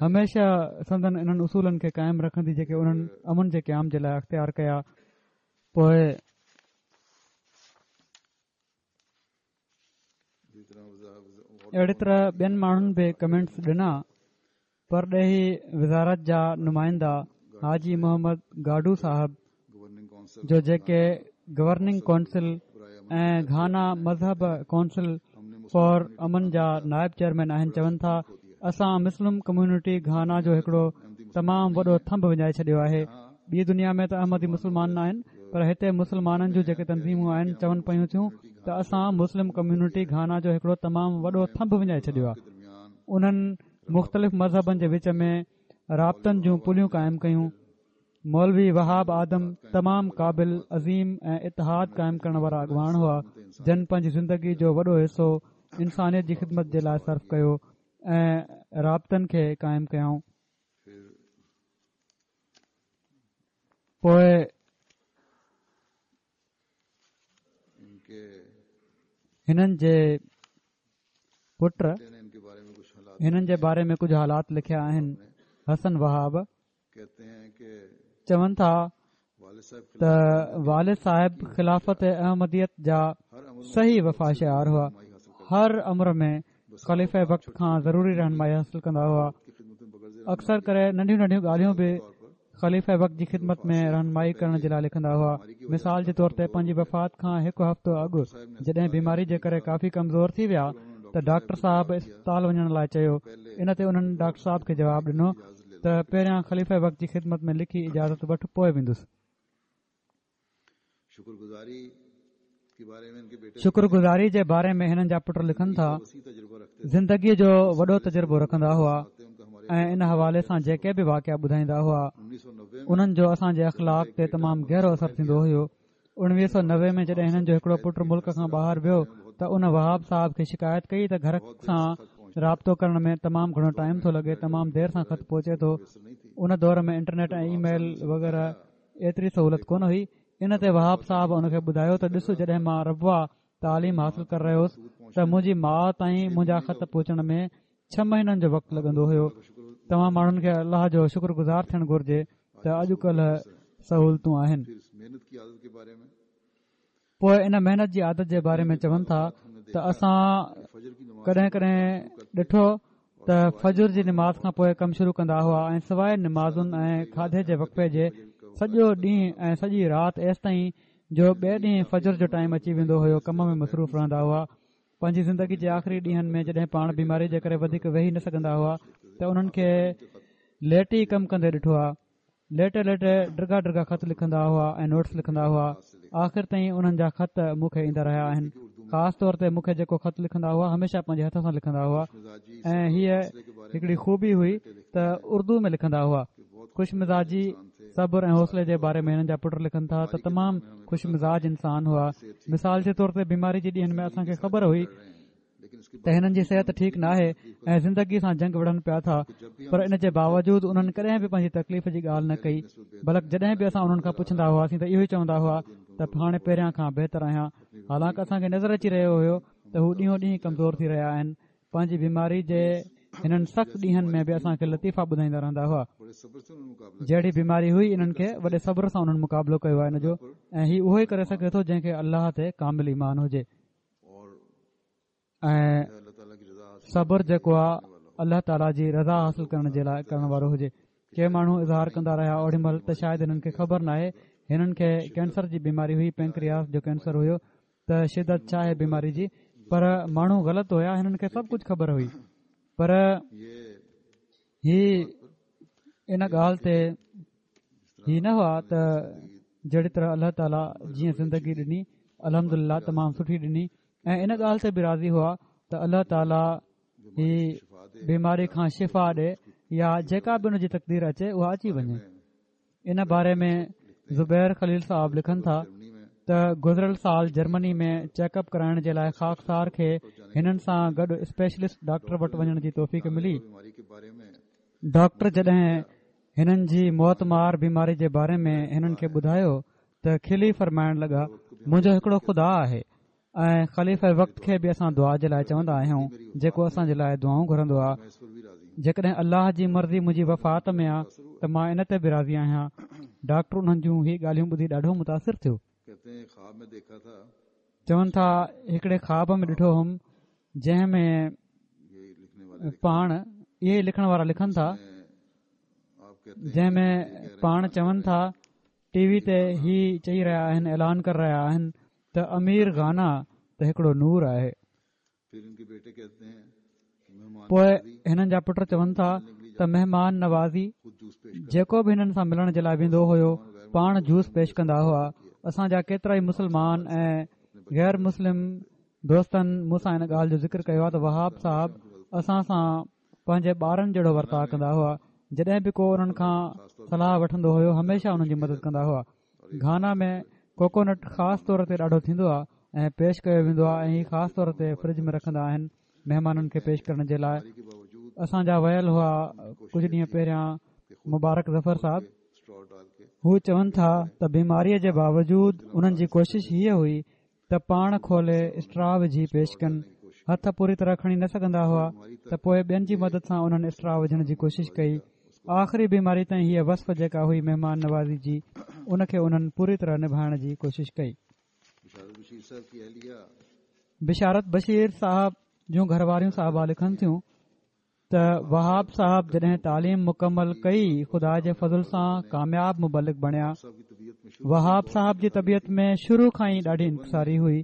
هميشه سندن انهن اصولن کي قائم رکندي جيڪي انهن امن جي قيام جي لاء اختيار ڪيا پوء اهڙي طرح ٻين ماڻهن به ڪمينٽس ڏنا. پرڏيهي وزارت جا نمائندا حاجي محمد گاڊو صاحب جو جيڪي گورننگ ڪونسل ۽ گهانا مذهب ڪونسل فار امن جا نائب چيئرمين آهن چون ٿا اسان مسلم ڪميونٽي گهانا جو هڪڙو تمام وڏو ٿنڀ وڃائي ڇڏيو آهي ٻي دنيا ۾ ته احمدي مسلمان ناهن پر هتي مسلمانن جون جيڪي تنظيمون آهن چون پيون ٿيون ته اسان مسلم ڪميونٽي گهانا جو هڪڙو تمام وڏو ٿنڀ وڃائي ڇڏيو آهي انهن مختلف مذهبن جي وچ ۾ رابطن جون پليون قائم ڪيون مولوي وهاب آدم تمام قابل عظيم ۽ اتحاد قائم ڪرڻ وارا اڳواڻ هئا جن پنهنجي زندگي جو وڏو حصو انسانيت جي خدمت جي لاء صرف ڪيو ۽ رابطن کي قائم ڪيائون پوء هنن جي پٽ هنن جي باري ۾ ڪجهه حالات لکيا آهن حسن وهاب چون ٿا ته والد صاحب خلافت احمديت جا صحيح وفا شعار هئا هر امر ۾ خليفه وقت کان ضروري رهنمائي حاصل ڪندا هئا اڪثر ڪري ننڍيون ننڍيون ڳالهيون به خليفه وقت جي خدمت ۾ رهنمائي ڪرڻ جي لاء لکندا هئا مثال جي طور تي پنهنجي وفات کان هڪ هفتو اڳ جڏهن بيماري جي ڪري ڪافي ڪمزور ٿي ويا ته ڊاڪٽر صاحب اسپتال وڃڻ لاء چيو ان تي انهن ڊاڪٽر صاحب کي جواب ڏنو ته پهريان خليفه وقت جي خدمت ۾ لکي اجازت وٺ پوء ويندس شڪر گذاري جي باري ۾ هنن جا پٽ لکن ٿا زندگيء جو وڏو تجربو رکندا هئا ۽ ان حوالي سان جيڪي به واقعا ٻڌائيندا هئا انهن جو اسان جي اخلاق تي تمام گهرو اثر ٿيندو هيو 1990 ۾ جڏهن هنن جو هڪڙو پٽ ملڪ کان ٻاهر ويو ته ان وهاب صاحب کي شڪايت ڪئي ته گهر سان رابطو ڪرڻ ۾ تمام گهڻو ٽائيم ٿو لڳي تمام دير سان خط پهچي ٿو ان دور ۾ انٽرنيٽ ۽ اي ميل وغيره ايتري سهولت ڪونه هئي. ان تي وهاب صاحب ان کي ٻڌايو ته ڏس جڏهن مان ربوه تعليم حاصل ڪري رهيو هوس ته منهنجي ماء تائين منهنجا خط پهچڻ ۾ ڇهه مهينن جو وقت لڳندو هيو. توهان ماڻهن کي الله جو شڪر گذار ٿيڻ گهرجي ته اڄ ڪلهه سهولتون آهن. پوء ان محنت جي عادت جي باري ۾ چون ٿا ته اسان ڪڏهن ڪڏهن ڏٺو ته فجر جي نماز کان پوء ڪم شروع ڪندا هئا ۽ سواء نمازن ۽ کاڌي جي وقفي جي سڄو ڏينهن ۽ سڄي رات ايستائين جو ٻئي ڏينهن فجر جو ٽائيم اچي ويندو هيو ڪم ۾ مصروف رهندا هئا. پنهنجي زندگي جي آخري ڏينهن ۾ جڏهن پاڻ بيماري جي ڪري وڌيڪ ويهي نه سگهندا هئا ته انهن کي ليٽي ڪم ڪندي ڏٺو آ. ليٽي ليٽي ڊگها ڊگها خط لکندا هئا ۽ نوٽس لکندا هئا. آخر تائين انهن جا خط مون کي ايندا رهيا آهن. خاص طور تي مون کي جيڪو خط لکندا هئا هميشه پنهنجي هٿ سان لکندا هئا ۽ هيء هڪڙي خوبي هئي ته اردو ۾ لکندا هئا. خوش مزاجي، صبر ۽ حوصلي جي باري ۾ هنن جا پٽ لکن ٿا ته تمام خوش مزاج انسان هئا. مثال جي طور تي بيماري جي ڏينهن ۾ اسان کي خبر هئي ته هنن جي صحت ٺيڪ ناهي ۽ زندگي سان جنگ وڙهن پيا ٿا پر ان جي باوجود انهن ڪڏهن به پنهنجي تڪليف جي ڳالهه نه ڪئي بلڪ جڏهن به اسان انهن کان پڇندا هئاسين ته اهو ئي چوندا هئا ته هاڻي پهريان کان بهتر آهيان حالانڪ اسان کي نظر اچي رهيو هيو ته هو ڏينهون ڏينهن ڪمزور ٿي رهيا آهن پنهنجي بيماري جي هنن سخت ڏينهن ۾ به اسان کي لطيفا ٻڌائيندا رهندا هئا جهڙي بيماري هئي انهن کي وڏي صبر سان انهن مقابلو ڪيو آهي ان جو ۽ هي اهو ئي ڪري سگهي ٿو جنهن کي الله تي ڪامل ايمان هجي ۽ صبر جيڪو آهي الله تعاليٰ جي رضا حاصل ڪرڻ جي لاء ڪرڻ وارو هجي ڪي ماڻهو اظهار ڪندا رهيا اوڏي مهل ته شايد هنن کي خبر ناهي هنن کي ڪينسر جي بيماري هئي پينڪرياس جو ڪينسر هيو ته شدت ڇا آهي بيماري جي پر ماڻهو غلط هيا هنن کي سڀ ڪجهه خبر هئي پر هي ان ڳالهه تي هي نه هئا ته جهڙي طرح الله تعاليٰ جيئن زندگي ڏني الحمد لله تمام سٺي ڏني ۽ ان ڳالهه تي به راضي هئا ته الله تعاليٰ هي بيماري کان شفا ڏي يا جيڪا به ان جي تقدير اچي اها اچي وڃي ان باري ۾ زبير خليل صاحب لکن ٿا ته گذريل سال جرمني ۾ چيڪ اپ ڪرائڻ جي لاء خاڪسار کي هنن سان گڏ اسپيشلسٽ ڊاڪٽر وٽ وڃڻ جي توفيق ملي. ڊاڪٽر جڏهن هنن جي موتمار بيماري جي باري ۾ هنن کي ٻڌايو ته کلي فرمائڻ لڳا منهنجو هڪڙو خدا آهي ۽ خليفه وقت کي به اسان دعا جي لاء چوندا آهيون جيڪو اسان جي لاء دعائون گهرندو آهي جيڪڏهن الله جي مرضي منهنجي وفات ۾ آ ته مان ان تي به راضي آهيان ڊاڪٽر انهن جون هي ڳالهيون ٻڌي ڏاڍو متاثر ٿيو چون ٿا هڪڙي خواب ۾ ڏٺو هوم جنهن ۾ پاڻ اهي لکڻ وارا لکن ٿا جنهن ۾ پاڻ چون ٿا ٽي وي تي هي چئي رهيا آهن اعلان ڪري رهيا آهن ته امير گهانا ته هڪڙو نور آهي. پوء هنن جا پٽ چون ٿا ته مهمان نوازي جيڪو به هنن سان ملڻ جي لاء ويندو هيو پاڻ جوس پيش ڪندا هئا اسان جا ڪيترائي مسلمان ۽ غير مسلم دوستن مون سان ان ڳالهه جو ذڪر ڪيو آهي ته وهاب صاحب اسان سان پنهنجي ٻارن جهڙو ورتاء ڪندا هئا جڏهن به ڪو انهن کان صلاح وٺندو هيو هميشه انهن جي مدد ڪندا هئا گهانا ۾ ڪوڪونٽ خاص طور تي ڏاڍو ٿيندو آهي ۽ پيش ڪيو ويندو آهي ۽ هي خاص طور تي فرج ۾ رکندا آهن مهمانن کي پيش ڪرڻ جي لاء اسان جا ويل هئا ڪجهه ڏينهن پهريان مبارڪ ظفر صاحب هو چون ٿا ته بيماريء جي باوجود انهن جي ڪوشش هيء هئي ته پاڻ کولي اسٽرا وجهي پيش ڪن. هٿ پوري طرح کڻي نه سگهندا هئا ته پوء ٻين جي مدد سان انهن اسٽرا وجهڻ جي ڪوشش ڪئي. آخري بيماري تائين هيء وصف جيڪا هئي مهمان نوازي جي ان کي انهن پوري طرح نڀائڻ جي ڪوشش ڪئي. بشارت بشير صاحب جون گهرواريون صاحبه لکن ٿيون. ته وهاب صاحب جڏهن تعليم مڪمل ڪئي خدا جي فضل سان ڪامياب مبلغ بڻيا. وهاب صاحب جي طبيعت ۾ شروع کان ئي ڏاڍي انڪساري هئي.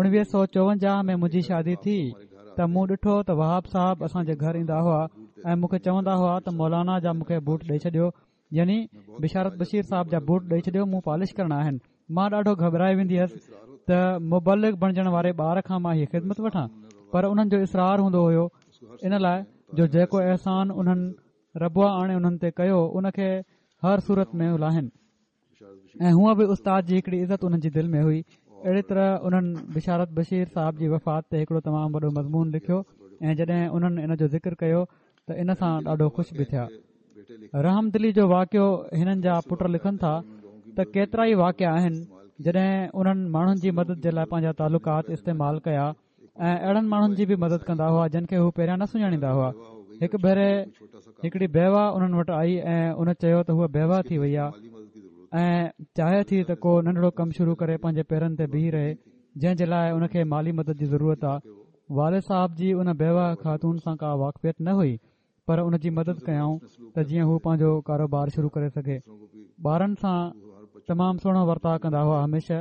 1954 ۾ منهنجي شادي ٿي ته مون ڏٺو ته وهاب صاحب اسان جي گهر ايندا هئا ۽ مون کي چوندا هئا ته مولانا جا مون کي بوٽ ڏئي ڇڏيو يعني بشارت بشير صاحب جا بوٽ ڏئي ڇڏيو مون پالش ڪرڻا آهن مان ڏاڍو گهٻرائي ويندي هيس ته مبلغ بڻجڻ واري ٻار کان مان هي خدمت وٺان پر انهن جو اصرار هوندو هيو ان لاء جو جيڪو احسان انهن ربوه آڻي انهن تي ڪيو ان کي هر صورت ۾ لاهن ۽ هونء به استاد جي هڪڙي عزت انهن جي دل ۾ هئي اهڙي طرح انهن بشارت بشير صاحب جي وفات تي هڪڙو تمام وڏو مضمون لکيو ۽ جڏهن انهن ان جو ذڪر ڪيو ته ان سان ڏاڍو خوش به ٿيا رحم دلي جو واقعو هنن جا پٽ لکن ٿا ته ڪيترا ئي واقعا آهن جڏهن انهن ماڻهن جي مدد جي لاء پنهنجا تعلقات استعمال ڪيا ۽ اهڙن ماڻهن جي به مدد ڪندا هئا جن کي هو پهريان نه سڃاڻيندا هئا هڪ ڀيري هڪڙي بيوه انهن وٽ آئي ۽ ان چيو ته هوء بيوه ٿي وئي آهي. ۽ چاهي ٿي ته ڪو ننڍڙو ڪم شروع ڪري پنهنجي پيرن تي بيهي رهي جنهن جي لاء ان کي مالي مدد جي ضرورت آهي. والد صاحب جي ان بيوه خاتون سان ڪا واقفيت نه هئي پر ان جي مدد ڪيائون ته جيئن هو پنهنجو ڪاروبار شروع ڪري سگهي. ٻارن سان تمام سهڻو ورتاء ڪندا هئا هميشه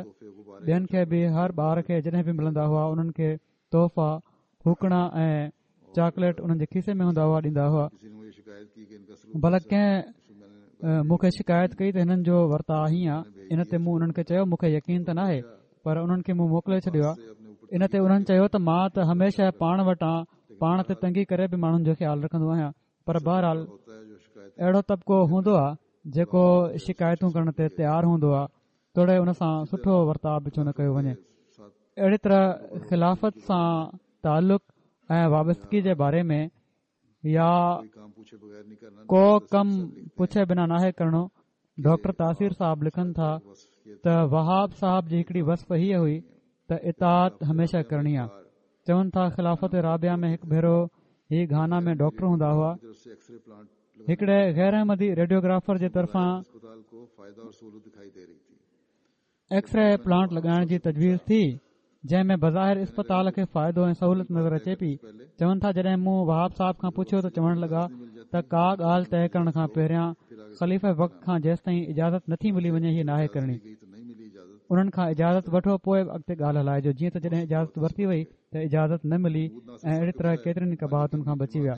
ٻين کي به هر ٻار کي جڏهن به ملندا هئا انهن کي تحفا ڦوڪڻا ۽ چاڪليٽ انهن جي کيسي ۾ هوندا هئا ڏيندا هئا بلڪ ڪنهن مون کي شڪايت ڪئي ته هنن جو ورتاء هيئن آ ان تي مون انهن کي چيو مون کي يقين ته ناهي پر انهن کي مون موڪلي ڇڏيو آ ان تي انهن چيو ته مان ته هميشه پاڻ وٽان پاڻ تي تنگي ڪري به ماڻهن جو خيال رکندو آهيان پر بهرحال اهڙو طبقو هوندو آ جيڪو شڪايتون ڪرڻ تي تيار هوندو آ توڙي ان سان سٺو ورتاء به ڇو نه ڪيو وڃي اهڙي طرح خلافت سان تعلق ۽ وابستگي جي باري ۾ يا ڪو ڪم پڇي بنا ناهي ڪرڻو ڊاڪٽر تاثير صاحب لکن ٿا ته وهاب صاحب جي هڪڙي وصف هيء هئي ته اطاعت هميشه ڪرڻي آ چون ٿا خلافت رابعه ۾ هڪ ڀيرو هي گهانا ۾ ڊاڪٽر هوندا هئا هڪڙي غير احمدي ريڊيوگرافر جي طرفان ايڪسري پلانٽ لڳائڻ جي تجويز ٿي جنهن ۾ بظاهر اسپتال کي فائدو ۽ سهولت نظر اچي پي چون ٿا جڏهن مون وهاب صاحب کان پڇيو ته چوڻ لڳا ته ڪا ڳالهه طئي ڪرڻ کان پهريان خليفه وقت کان جيستائين اجازت نٿي ملي وڃي هي ناهي ڪرڻي انهن کان اجازت وٺو پوء اڳتي ڳالهه هلائجو جيئن ته جڏهن اجازت ورتي وئي ته اجازت نه ملي ۽ اهڙي طرح ڪيترين قباحتن کان بچي ويا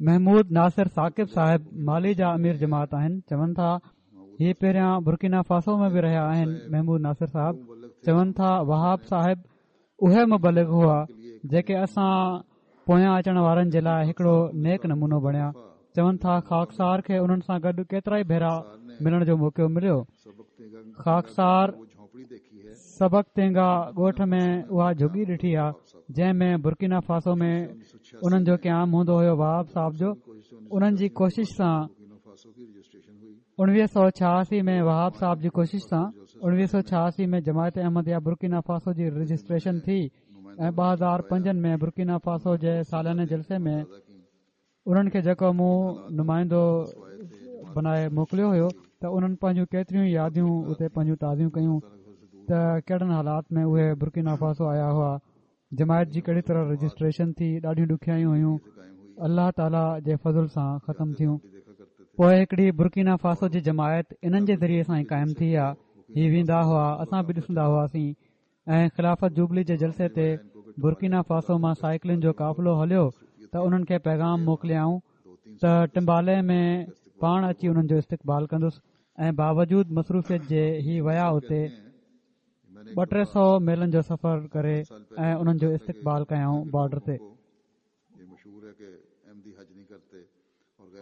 محمود ناصر ثاقب صاحب مالي جا امير جماعت آهن چون ٿا هي پهريان برڪينا فاسو ۾ به رهيا آهن محمود ناصر صاحب چون ٿا وهاب صاحب اهي مبلغ هئا جيڪي اسان پويان اچڻ وارن جي لاء هڪڙو نيڪ نمونو بڻيا چون ٿا خاڪسار کي انهن سان گڏ ڪيترا ئي ڀيرا ملڻ جو موقعو مليو خاڪسار سبڪ تينگا ڳوٺ ۾ اها جهڳي ڏٺي آ جنهن ۾ برڪينا فاسو ۾ انهن جو قيام هوندو هيو وهاب صاحب جو انهن جي ڪوشش سان 1986 ۾ وهاب صاحب جي ڪوشش سان 1986 ۾ جماعت احمديه برڪينا فاسو جي رجسٽريشن ٿي ۽ 2005 ۾ برڪينا فاسو جي سالاني جلسي ۾ انهن کي جيڪو مون نمائندو بنائي موڪليو هيو ته انهن پنهنجون ڪيتريون ياديون اتي پنهنجون تازيون ڪيون ته ڪهڙن حالات ۾ اهي برڪينا فاسو آيا هئا جماعت جي ڪهڙي طرح رجسٽريشن ٿي ڏاڍيون ڏکيائيون هيون الله تعاليٰ جي فضل سان ختم ٿيون پوء هڪڙي برڪينا فاسو جي جماعت انهن جي ذريعي سان ئي قائم ٿي آ هي ويندا هئا اسان به ڏسندا هئاسين ۽ خلافت جوبلي جي جلسي تي برڪينا فاسو مان سائيڪلن جو قافلو هليو ته انهن کي پيغام موڪليائون ته ٽمبالي ۾ پاڻ اچي انهن جو استقبال ڪندس ۽ باوجود مصروفيت جي هي ويا اتي ٻه ٽي سو ميلن جو سفر ڪري ۽ انهن جو استقبال ڪيائون بارڊر تي.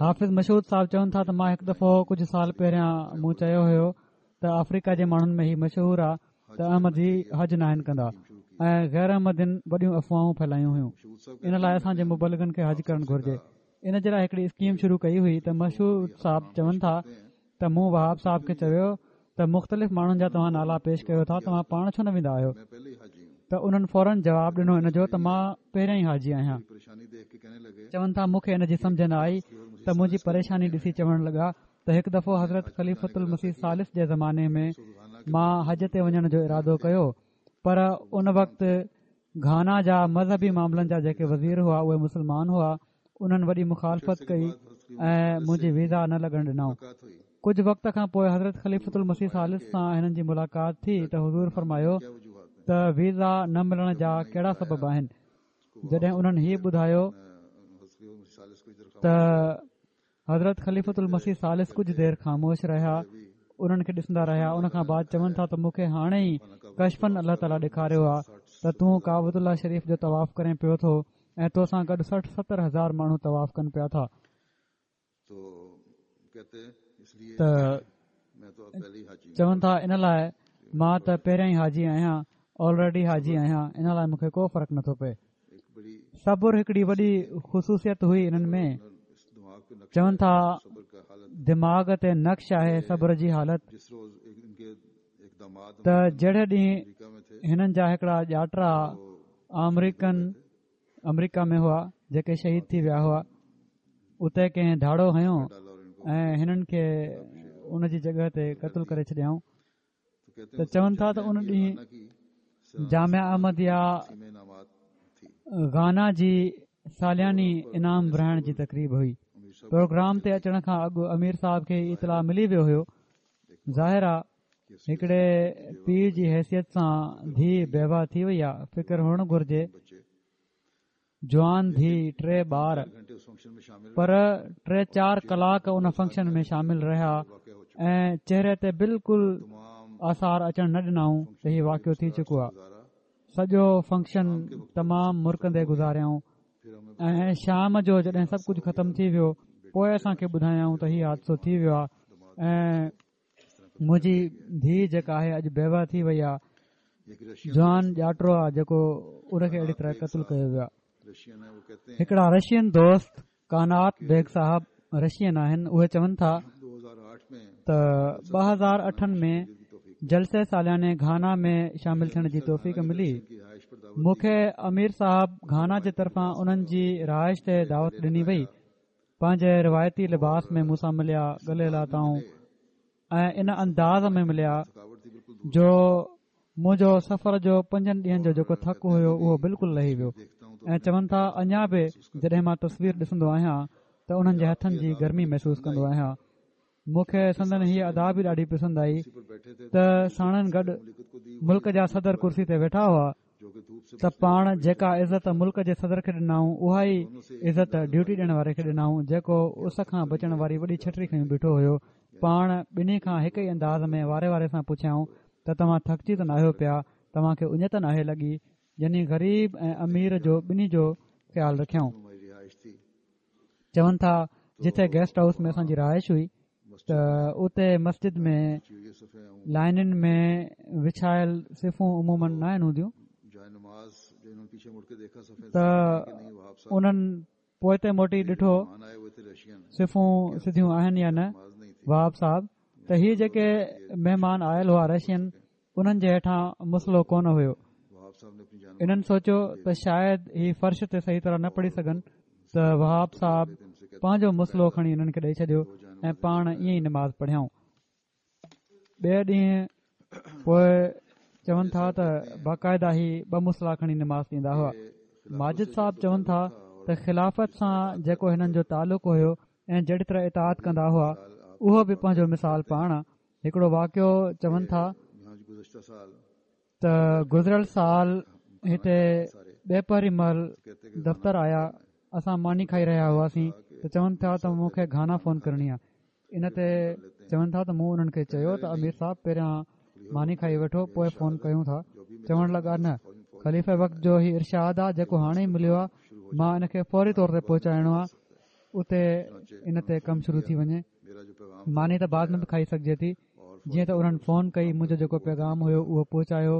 حافظ مشهود صاحب چون ٿا ته مان هڪ دفعو ڪجهه سال پهريان مون چيو هيو ته آفريڪا جي ماڻهن ۾ هي مشهور آ ته احمدي حج ناهن ڪندا ۽ غير احمدين وڏيون افواهون ڦهلايون هيون ان لاء اسان جي مبلغن کي حج ڪرڻ گهرجي ان جي لاء هڪڙي اسڪيم شروع ڪئي هئي ته مشهود صاحب چون ٿا ته مون وهاب صاحب کي چيو ته مختلف ماڻهن جا توهان نالا پيش ڪيو ٿا توهان پاڻ ڇو نه ويندا آهيو ته انهن فورن جواب ڏنو ان جو ته مان پهريان ئي حاجي آهيان چون ٿا مون کي ان جي سمجه نه آئي ته منهنجي پريشاني ڏسي چوڻ لڳا ته هڪ دفعو حضرت خليفت المسيح ثالث جي زماني ۾ مان حج تي وڃڻ جو ارادو ڪيو پر ان وقت گهانا جا مذهبي معاملن جا جيڪي وزير هئا اهي مسلمان هئا انهن وڏي مخالفت ڪئي ۽ منهنجي ويزا نه لڳڻ ڏنائون. ڪجهه وقت کان پوء حضرت خليفة المسيح ثالث سان هنن جي ملاقات ٿي ته حضور فرمايو ته ويزا نه ملڻ جا ڪهڙا سبب آهن؟ جڏهن انهن هي ٻڌايو ته حضرت خليفة المسيح ثالث ڪجهه دير خاموش رهيا انهن کي ڏسندا رهيا ان کان بعد چون ٿا ته مون کي هاڻي ئي ڪشفاً الله تعاليٰ ڏيکاريو آهي ته تون ڪعبة الله شريف جو طواف ڪرين پيو ٿو ۽ تو سان گڏ 60 70 هزار ماڻهو طواف ڪن پيا ٿا ته چون ٿا ان لاء مان ته پهريان ئي حاجي آهيان آلريڊي حاجي آهيان ان لاء مون کي ڪو فرق نٿو پئي صبر هڪڙي وڏي خصوصيت هئي انهن ۾ چون ٿا دماغ تي نقش آهي صبر جي حالت ته جهڙي ڏينهن هنن جا هڪڙا ڄاٽرا آمريڪن آمريڪا ۾ هئا جيڪي شهيد ٿي ويا هئا اتي ڪنهن ڌاڙو هنيو ۽ هنن کي ان جي جڳهه تي قتل ڪري ڇڏيائون ته چون ٿا ته ان ڏينهن جامعه احمديه گهانا جي سالياني انعام ورهائڻ جي تقريب هئي. پروگرام تي اچڻ کان اڳ امير صاحب کي هي اطلاع ملي ويو هيو. ظاهر آ هڪڙي پيء جي حيثيت سان ڌيء بيوه ٿي وئي آ، فڪر هئڻ گهرجي. جوان ڌيء، ٽي ٻار، پر ٽي چار ڪلاڪ ان فنڪشن ۾ شامل رهيا ۽ چهري تي بلڪل آثار اچڻ نه ڏنائون ته هي واقعو ٿي چڪو آ. سڄو فنڪشن تمام مرڪندي گذاريائون ۽ شام جو جڏهن سڀ ڪجهه ختم ٿي ويو پوء اسان کي ٻڌايائون ته هي حادثو ٿي ويو آهي ۽ منهنجي ڌيء جيڪا آهي اڄ بيوه ٿي وئي آهي جوان ڄاٽرو آهي جيڪو ان کي اهڙي طرح قتل ڪيو ويو آهي هڪڙا رشين دوست ڪانات بيگ صاحب رشين آهن اهي چون ٿا ته 2008 ۾ جلسي سالياني گهانا ۾ شامل ٿيڻ جي توفيق ملي مون کي امير صاحب گهانا جي طرفان انهن جي رهائش تي دعوت ڏني وئي پنهنجي روايتي لباس ۾ مون سان مليا ڳلي لاتائون ۽ ان انداز ۾ مليا جو منهنجو سفر جو پنجن ڏينهن جو جيڪو ٿڪ هيو اهو بلڪل لهي ويو ۽ چون ٿا اڃا به جڏهن مان تصوير ڏسندو آهيان ته انهن جي هٿن جي گرمي محسوس ڪندو آهيان مون کي سندن هيء ادا به ڏاڍي پسند آئي ته ساڻن گڏ ملڪ جا صدر ڪرسي تي ويٺا هئا ته پاڻ جيڪا عزت ملڪ جي صدر کي ڏنائون اها ئي عزت ڊيوٽي ڏيڻ واري کي ڏنائون جيڪو اس کان بچڻ واري وڏي ڇٽري کنيون بيٺو هيو پاڻ ٻنهي کان هڪ ئي انداز ۾ واري واري سان پڇيائون ته توهان ٿڪجي ته ناهيو پيا توهان کي اڃ ته ناهي لڳي يعني غريب ۽ امير جو ٻنهي جو خيال رکيائون چون ٿا جتي گيسٽ هائوس ۾ اسان جي رهائش هئي ته اتي مسجد ۾ لائنن ۾ وڇايل صفون عموماً ناهن هونديون ته انهن پوئتي موٽي ڏٺو صفون سڌيون آهن يا نه وهاب صاحب ته هي جيڪي مهمان آيل هئا رشين انهن جي هيٺان مصلو ڪونه هيو. انهن سوچيو ته شايد هي فرش تي صحيح طرح نه پڙهي سگهن ته وهاب صاحب پنهنجو مصلو کڻي انهن کي ڏئي ڇڏيو ۽ پاڻ ائين ئي نماز پڙهيائون. ٻئي ڏينهن پوء چون ٿا ته باقاعده هي ٻه مصلا کڻي نماز ڏيندا هئا. ماجد صاحب چون ٿا ته خلافت سان جيڪو هنن جو تعلق هيو ۽ جهڙي طرح اطاعت ڪندا هئا اهو به پنهنجو مثال پاڻ آ. هڪڙو واقعو چون ٿا ته گذريل سال هتي ٻپهري مهل دفتر آيا اسان ماني کائي رهيا هئاسين ته چون ٿا ته مون کي گهانا فون ڪرڻي آهي ان تي چون ٿا ته مون انهن کي چيو ته امير صاحب پهريان ماني کائي وٺو پوء فون ڪيون ٿا چوڻ لڳا نه خليفه وقت جو هي ارشاد آهي جيڪو هاڻي ئي مليو آهي مان ان کي فوري طور تي پهچائڻو آهي اتي ان تي ڪم شروع ٿي وڃي ماني ته بعد ۾ به کائي سگهجي ٿي جيئن ته انهن فون ڪئي منهنجو جيڪو پيغام هيو اهو پهچايو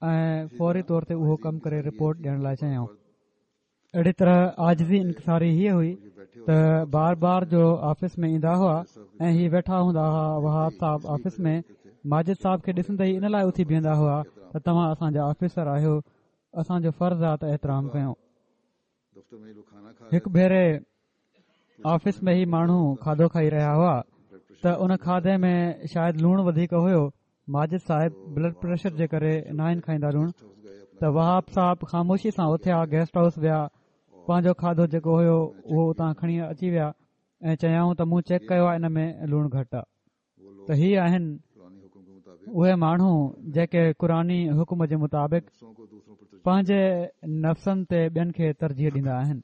۽ فوري طور تي اهو ڪم ڪري رپورٽ ڏيڻ لاء چيائون اهڙي طرح عاجزي انڪساري هيء هئي ته بار بار جو آفيس ۾ ايندا هئا ۽ هي ويٺا هوندا هئا وهاب صاحب آفيس ۾ ماجد صاحب کي ڏسندي ئي ان لاء اٿي بيهندا هئا ته توهان اسان جا آفيسر آهيو اسان جو فرض آهي ته احترام ڪيون هڪ ڀيري آفيس ۾ هي ماڻهو کاڌو کائي رهيا هئا ته ان کاڌي ۾ شايد لوڻ وڌيڪ هيو ماجد صاحب بلڊ پريشر جي ڪري ناهن کائيندا لوڻ ته وهاب صاحب خاموشي سان اٿيا گيسٽ هائوس ويا پنهنجو کاڌو جيڪو هيو اهو اتان کڻي اچي ويا ۽ چيائون ته مون چيڪ ڪيو آهي ان ۾ لوڻ گهٽ آهي ته هي آهن اهي ماڻهو جيڪي قرآني حڪم جي مطابق پنهنجي نفسن تي ٻين کي ترجيح ڏيندا آهن.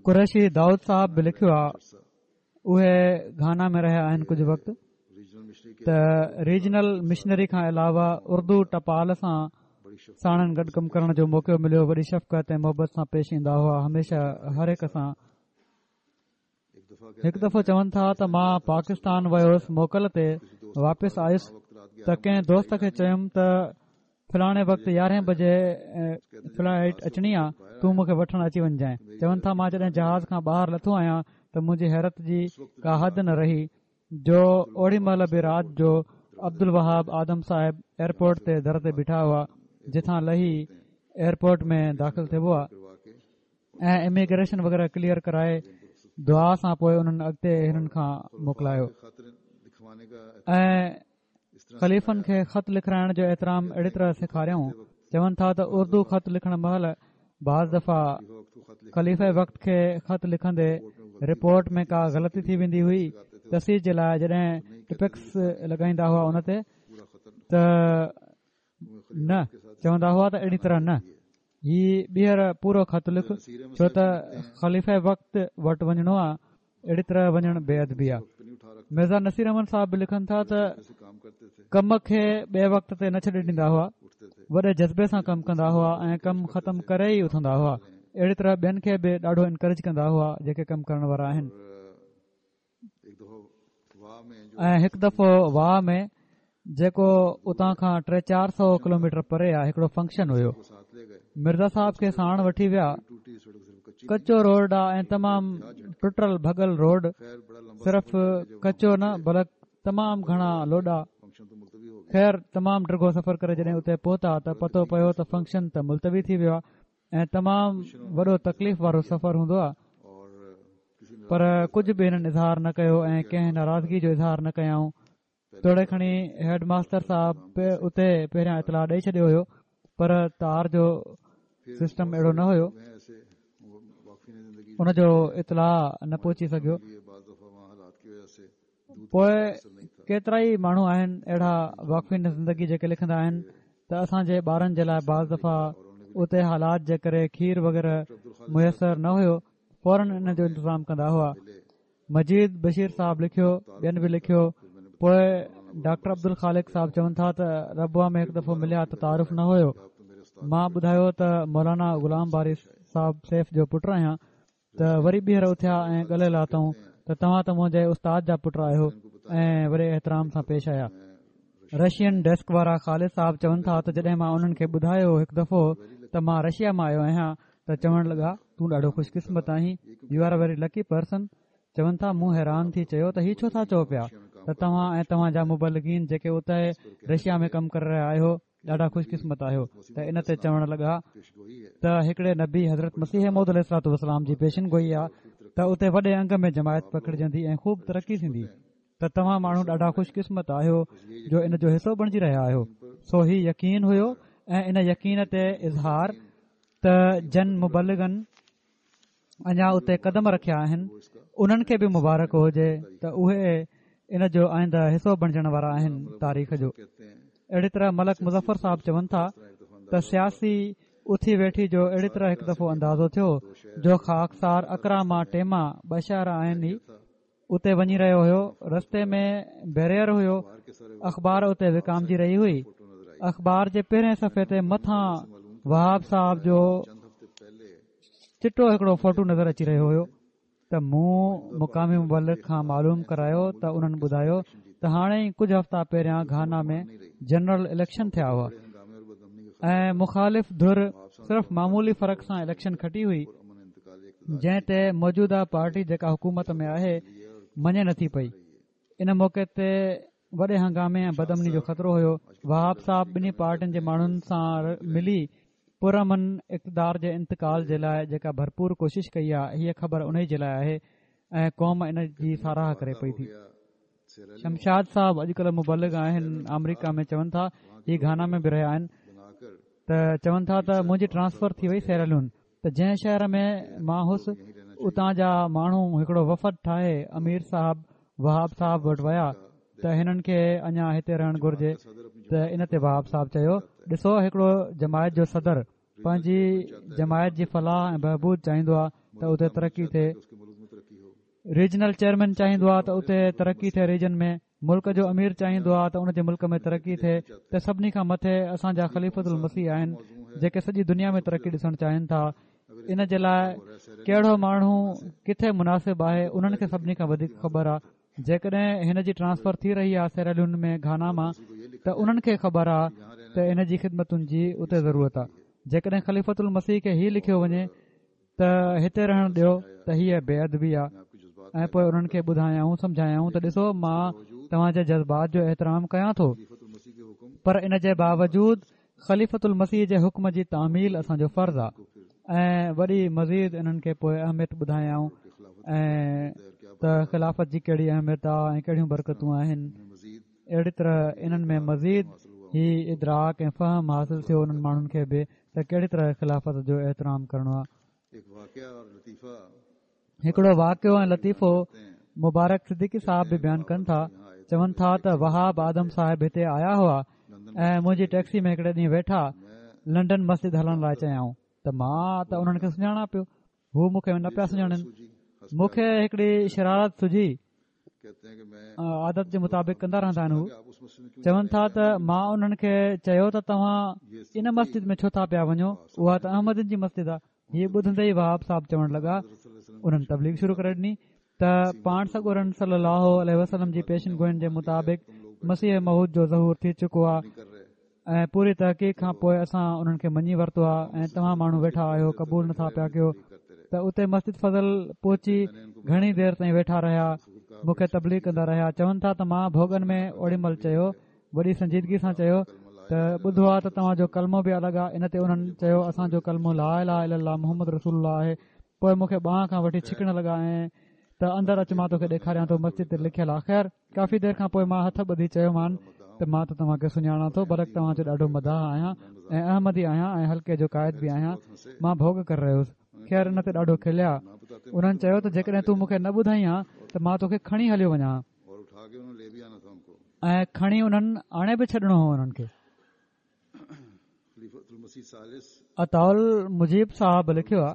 قريشي دائود صاحب به لکيو آهي اهي گهانا ۾ رهيا آهن ڪجهه وقت ته ريجنل مشنري کان علاوه اردو ٽپال سان ساڻن گڏ ڪم ڪرڻ جو موقعو مليو وڏي شفقت ۽ محبت سان پيش ايندا هئا هميشه هر هڪ سان هڪ دفعو چون ٿا ته مان پاڪستان ويو هوس موڪل تي واپس آيس ته ڪنهن دوست کي چيم ته فلاڻي وقت يارهين بجي فلائيٽ اچڻي آ تون مون کي وٺڻ اچي وڃجانء چون ٿا مان جڏهن جهاز کان ٻاهر لٿو آهيان ته منهنجي حيرت جي ڪا حد نه رهي جو اوڙي مهل به رات جو عبدالوهاب آدم صاحب ايئرپورٽ تي در تي بيٺا هئا جتان لهي ايئرپورٽ ۾ داخل ٿيبو آ ۽ اميگريشن وغيره ڪليئر ڪرائي دعا سان پوء انهن اڳتي هنن کان موڪلايو ۽ خليفن کي خط لکرائڻ جو احترام اهڙي طرح سيکاريائون چون ٿا ته اردو خط لکڻ مهل بعض دفعا خليفه وقت کي خط لکندي رپورٽ ۾ ڪا غلطي ٿي ويندي هئي تصحيح جي لاء جڏهن ٽپڪس لڳائيندا هئا ان تي ته نه چوندا هئا ته اهڙي طرح نه هي ٻيهر پورو خط لک ڇو ته خليفه وقت وٽ وڃڻو آ اهڙي طرح وڃڻ بي ادبي آ مرزا نصير احمد صاحب به لکن ٿا ته ڪم کي ٻئي وقت تي نه ڇڏي ڏيندا هئا وڏي جذبي سان ڪم ڪندا هئا ۽ ڪم ختم ڪري ئي اٿندا هئا اهڙي طرح ٻين کي به ڏاڍو انڪريج ڪندا هئا جيڪي ڪم ڪرڻ وارا آهن ۽ هڪ دفعو وا ۾ جيڪو اتان کان ٽي چار سو ڪلوميٽر پري آهي هڪڙو فنڪشن هيو مرزا صاحب کي ساڻ وٺي ويا ڪچو روڊ آ ۽ تمام ٽٽل ڀڳل روڊ صرف ڪچو نه بلڪ تمام گهڻا لوڏا خير تمام ڊگهو سفر ڪري جڏهن اتي پهتا ته پتو پيو ته فنڪشن ته ملتوي ٿي ويو آ ۽ تمام وڏو تڪليف وارو سفر هوندو آ پر ڪجهه به هنن اظهار نه ڪيو ۽ ڪنهن ناراضگي جو اظهار نه ڪيائون توڙي کڻي هيڊ ماستر صاحب اتي پهريان اطلاع ڏئي ڇڏيو هيو پر تار جو سسٽم اهڙو نه هيو ان جو اطلاع نه پهچي سگهيو پوء ڪيترا ئي ماڻهو آهن اهڙا واقفين زندگي جيڪي لکندا آهن ته اسان جي ٻارن جي لاء بعض دفعا اتي حالات جي ڪري کير وغيره ميسر نه هيو فورن ان جو انتظام ڪندا هئا مجيد بشير صاحب لکيو ٻين به لکيو پوء ڊاڪٽر عبدالخالق صاحب چون ٿا ته ربوه ۾ هڪ دفعو مليا ته تعارف نه هيو مان ٻڌايو ته مولانا غلام باري صاحب سيف جو پٽ آهيان ته وري ٻيهر اٿيا ۽ ڳلي لاتائون ته توهان ته منهنجي استاد جا پٽ آهيو ۽ وڏي احترام سان پيش آيا. رشين ڊيسڪ وارا خالد صاحب چون ٿا ته جڏهن مان انهن کي ٻڌايو هڪ دفعو ته مان رشيا مان آيو آهيان ته چوڻ لڳا تون ڏاڍو خوش قسمت آهين You are a very lucky person چون ٿا مون حيران ٿي چيو ته هي ڇو ٿا چئو پيا ته توهان ۽ توهان جا مبلغين جيڪي اتي رشيا ۾ ڪم ڪري رهيا آهيو ڏاڍا خوش قسمت آهيو ته ان تي چوڻ لڳا ته هڪڙي نبي حضرت مسيح موعود عليه الصلوة والسلام جي پيشن گوئي آ ته اتي وڏي انگ ۾ جماعت پکڙجندي ۽ خوب ترقي ٿيندي ته توهان ماڻهو ڏاڍا خوش قسمت آهيو جو ان جو حصو بڻجي رهيا آهيو سو هي يقين هيو ۽ ان يقين تي اظهار ته جن مبلغن اڃا اتي قدم رکيا آهن انهن کي به مبارڪ هجي ته اهي ان جو آئنده حصو بڻجڻ وارا آهن تاريخ جو اهڙي طرح ملڪ مظفر صاحب چون ٿا ته سياسي اٿي ويٺي جو اهڙي طرح هڪ دفعو اندازو ٿيو جو خاڪسار اڪرا مان ٽيما ٻه شهر آهن ئي اتي وڃي رهيو هيو رستي ۾ بيريئر هيو اخبار اتي وڪامجي رهي هئي اخبار جي پهرين صفحي تي مٿان وهاب صاحب جو چٽو هڪڙو فوٽو نظر اچي رهيو هيو ته مون مقامي مبلغ کان معلوم ڪرايو ته انهن ٻڌايو ته هاڻي ئي ڪجهه هفتا پهريان گهانا ۾ جنرل اليڪشن ٿيا هئا ۽ مخالف ڌر صرف معمولي فرق سان اليڪشن کٽي هئي جنهن تي موجوده پارٽي جيڪا حڪومت ۾ آهي مڃي نٿي پئي ان موقعي تي وڏي هنگامي ۽ بدامني جو خطرو هيو وهاب صاحب ٻنهي پارٽين جي ماڻهن سان ملي پرامن اقتدار جي انتقال جي لاء جيڪا ڀرپور ڪوشش ڪئي آهي هيء خبر انهي جي لاء آهي ۽ قوم ان جي ساراهه ڪري پئي ٿي شمشاد صاحب اڄڪلهه مبلغ آهن آمريڪا ۾ چون ٿا هي گهانا ۾ به رهيا آهن ته چون ٿا ته منهنجي ٽرانسفر ٿي وئي سيراليون ته جنهن شهر ۾ مان هوس اتان جا ماڻهو هڪڙو وفد ٺاهي امير صاحب وهاب صاحب وٽ ويا ته هنن کي اڃا هتي رهڻ گهرجي ته ان تي وهاب صاحب چيو ڏسو هڪڙو جماعت جو صدر پنهنجي جماعت جي فلاح ۽ بهبود چاهيندو آهي ته اتي ترقي ٿئي ريجنل چيئرمين چاهيندو آهي ته اتي ترقي ٿئي ريجن ۾ ملڪ جو امير چاهيندو آهي ته ان جي ملڪ ۾ ترقي ٿئي ته سڀني کان مٿي اسان جا خليفت المسيح آهن جيڪي سڄي دنيا ۾ ترقي ڏسڻ چاهين ٿا ان جي لاء ڪهڙو ماڻهو ڪٿي مناسب آهي انهن کي سڀني کان وڌيڪ خبر آهي جيڪڏهن هن جي ٽرانسفر ٿي رهي آهي سيراليون ۾ گهانا مان ته انهن کي خبر آهي ته ان جي خدمتن جي اتي ضرورت آهي جيڪڏهن خليفت المسيح کي هي لکيو وڃي ته هتي رهڻ ڏيو ته هيء بي ادبي آهي ۽ پوء انهن کي ٻڌايائون سمجهايائون ته ڏسو مان توهان جي جذبات جو احترام ڪيان ٿو پر ان جي باوجود خليفت المسيح جي حڪم جي تعميل اسان جو فرض آهي ۽ وري مزيد انهن کي پوء اهميت ٻڌايائون. ۽ ته خلافت جي ڪهڙي اهميت آهي ۽ ڪهڙيون برڪتون آهن. اهڙي طرح انهن ۾ مزيد هي ادراڪ ۽ فهم حاصل ٿيو انهن ماڻهن کي به ته ڪهڙي طرح خلافت جو احترام ڪرڻو آهي. هڪڙو واقعو ۽ لطيفو مبارڪ صديقي صاحب به بيان ڪن ٿا، چون ٿا ته وهاب آدم صاحب هتي آيا هئا ۽ منهنجي ٽيڪسي ۾ هڪڙي ڏينهن ويٺا لنڊن مسجد هلڻ لاء چيائون ته مان ته انهن کي سڃاڻان پيو هو مون کي نه پيا سڃاڻن مون کي هڪڙي شرارت سجهي عادت جي مطابق ڪندا رهندا آهن هو چون ٿا ته مان انهن کي چيو ته توهان ان مسجد ۾ ڇو ٿا پيا وڃو اها ته احمدين جي مسجد آهي هي ٻڌندي ئي وهاب صاحب چوڻ لڳا انهن تبليغ شروع ڪري ڏني ته پاڻ سڳورن صلي الله عليه وسلم جي پيشن گوئين جي مطابق مسيح موعود جو ظهور ٿي چڪو آهي ۽ پوري تحقيق کان پوء اسان انهن کي مڃي ورتو آهي ۽ توهان ماڻهو ويٺا آهيو قبول نٿا پيا ڪيو ته اتي مسجد فضل پهچي گهڻي دير تائين ويٺا رهيا مون کي تبليغ ڪندا رهيا چون ٿا ته مان ڀوڳن ۾ اوڏي مهل چيو وڏي سنجيدگي سان چيو ته ٻڌو آ ته توهان جو ڪلمو به الڳ آ ان تي انهن چيو اسان جو ڪلمو لا اله الا الله محمد رسول الله آهي پوء مون کي ٻانهن کان وٺي ڇڪڻ لڳا ۽ ته اندر اچ مان توکي ڏيکاريان ٿو مسجد تي لکيل آ خير ڪافي دير کان پوء مان هٿ ٻڌي چيومان ته مان ته توهان کي سڃاڻان ٿو بلڪ توهان جو ڏاڍو مداح آهيان ۽ احمدي آهيان ۽ حلقي جو قائد به آهيان مان ڀوڳ ڪري رهيو هوس خير ان تي ڏاڍو کليا انهن چيو ته جيڪڏهن تون مون کي نه ٻڌائين ها ته مان توکي کڻي هليو وڃان ها ۽ کڻي انهن آڻي به ڇڏڻو هو انهن کي. عطاء المجيب صاحب لکيو آهي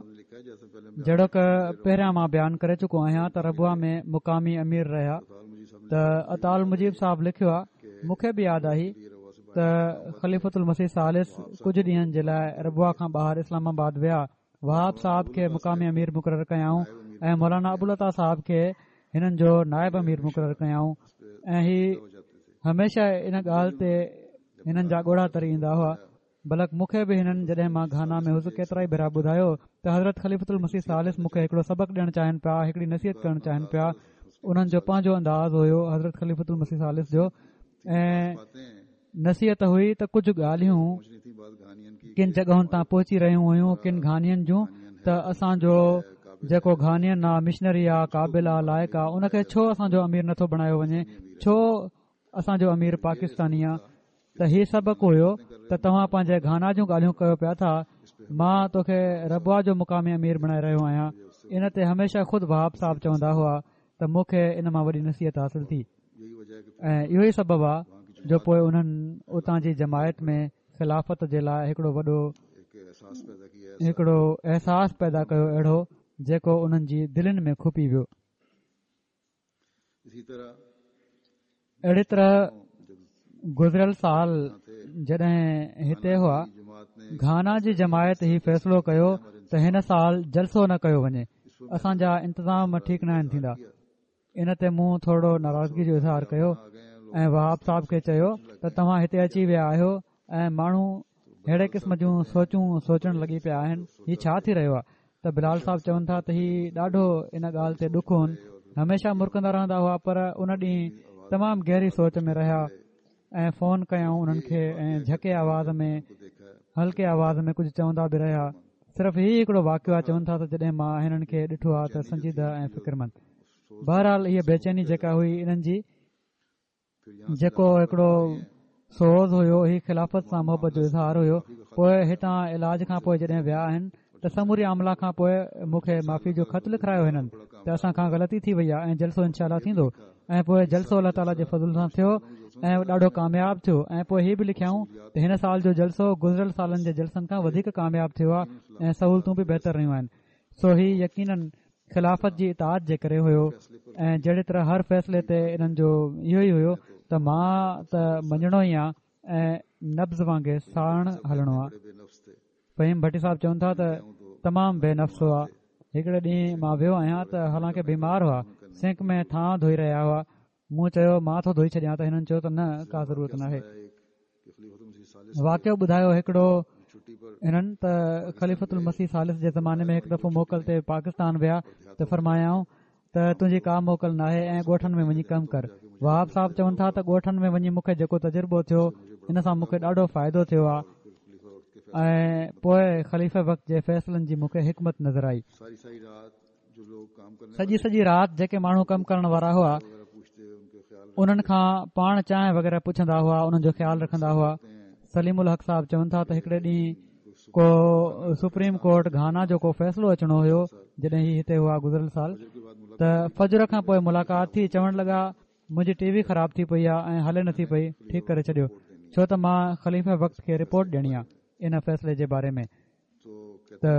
جهڙوڪ پهريان مان بيان ڪري چڪو آهيان ته ربوه ۾ مقامي امير رهيا ته عطاء المجيب صاحب لکيو آهي مون کي به ياد آهي ته خليفة المسيح ثالث ڪجهه ڏينهن جي لاء ربوه کان ٻاهر اسلام آباد ويا وهاب صاحب کي مقامي امير مقرر ڪيائون ۽ مولانا ابوالعطا صاحب کي هنن جو نائب امير مقرر ڪيائون ۽ هي هميشه ان ڳالهه تي هنن جا ڳوڙها تري ايندا هئا بلڪ مون کي به هنن جڏهن مان گهانا ۾ هوس ڪيترائي ڀيرا ٻڌايو ته حضرت خليفة المسيح ثالث مون کي هڪڙو سبق ڏيڻ چاهين پيا هڪڙي نصيحت ڪرڻ چاهين پيا انهن جو پنهنجو انداز هيو حضرت خليفة المسيح ثالث جو ۽ نصيحت هئي ته ڪجهه ڳالهيون ڪن جڳهن تان پهچي رهيون هيون ڪن گهانين جون ته اسان جو جيڪو گهانين آ مشنري آ قابل آ لائق آ ان کي ڇو اسان جو امير نٿو بڻايو وڃي ڇو اسان جو امير پاڪستاني آ ته هي سبق هيو ته توهان پنهنجي گهانا جون ڳالهيون ڪيو پيا ٿا مان توکي ربوه جو مقامي امير بڻائي رهيو آهيان ان تي هميشه خود وهاب صاحب چوندا هئا ته مون کي ان مان وڏي نصيحت حاصل ٿي ۽ اهو ئي سبب آ جو پوء انهن اتان جي جماعت ۾ خلافت جي لاء هڪڙو وڏو هڪڙو احساس پيدا ڪيو اهڙو جيڪو انهن جي دلين ۾ کپي ويو. اهڙي طرح گذريل سال جڏهن هتي هئا گهانا جي جماعت هي فيصلو ڪيو ته هن سال جلسو نه ڪيو وڃي اسان جا انتظام ٺيڪ ناهن ٿيندا ان تي مون ٿورڙو ناراضگي جو اظهار ڪيو ۽ وهاب صاحب کي چيو ته توهان هتي اچي ويا آهيو ۽ ماڻهو ههڙي قسم جون سوچون سوچڻ لڳي پيا آهن هي ڇا ٿي رهيو آهي ته بلال صاحب چون ٿا ته هي ڏاڍو ان ڳالهه تي ڏک هن هميشه مرڪندا رهندا هئا پر ان ڏينهن تمام گهري سوچ ۾ رهيا ۽ فون ڪيائون انهن کي ۽ جهڪي آواز ۾ هلڪي آواز ۾ ڪجهه چوندا به رهيا صرف هي هڪڙو واقعو آهي چون ٿا ته جڏهن مان هنن کي ڏٺو آهي ته سنجيده ۽ فڪرمند بهرحال هيء بيچيني جيڪا هئي انهن جي جيڪو هڪڙو سوز هيو هي خلافت سان محبت جو اظهار هيو پوء هتان علاج کان پوء جڏهن ويا آهن ته سموري عامله کان پوء مون کي معافي جو خط لکرايو هنن ته اسان کان غلطي ٿي وئي آهي ۽ جلسو انشاء الله ٿيندو ۽ پوء جلسو الله تعاليٰ جي فضل سان ٿيو ۽ ڏاڍو ڪامياب ٿيو ۽ پوء هي به لکيائون ته هن سال جو جلسو گذريل سالن جي جلسن کان وڌيڪ ڪامياب ٿيو آهي ۽ سهولتون به بهتر رهيون آهن سو هي يقينن خلافت جي اطاعت جي ڪري هيو ۽ جهڙي طرح هر فيصلي تي انهن جو اهو ئي هيو ته مان ته مڃڻو ئي آ ۽ نبض وانگي ساڻ هلڻو آ فهيم ڀٽي صاحب چون ٿا ته تمام بي نفس هئا هڪڙي ڏينهن مان ويو آهيان ته حالانڪه بيمار هئا سنڪ ۾ ٿانء ڌوئي رهيا هئا مون چيو مان ٿو ڌوئي ڇڏيان ته هنن چيو ته نه ڪا ضرورت ناهي واقعو ٻڌايو هڪڙو هنن ته خليفت المسيح ثالث جي زماني ۾ هڪ دفعو موڪل تي پاڪستان ويا ته فرمايائون ته تنهنجي ڪا موڪل ناهي ۽ ڳوٺن ۾ وڃي ڪم ڪر. وهاب صاحب چون ٿا ته ڳوٺن ۾ وڃي مون کي جيڪو تجربو ٿيو ان سان مون کي ڏاڍو فائدو ٿيو آهي ۽ پوء خليفه وقت جي فيصلن جي مون کي حڪمت نظر آئي. سڄي سڄي رات جيڪي ماڻهو ڪم ڪرڻ وارا هئا انهن کان پاڻ چانهه وغيره پڇندا هئا انهن جو خيال رکندا هئا سليم الحق صاحب چون ٿا ته هڪڙي ڏينهن ڪو سپريم ڪورٽ گهانا جو ڪو فيصلو اچڻو هيو جڏهن هي هتي هئا گذريل سال ته فجر کان پوء ملاقات ٿي چوڻ لڳا منهنجي ٽي وي خراب ٿي پئي آهي ۽ هلي نٿي پئي ٺيڪ ڪري ڇڏيو ڇو ته مان خليفه وقت کي رپورٽ ڏيڻي آهي ان فيصلي جي باري ۾ ته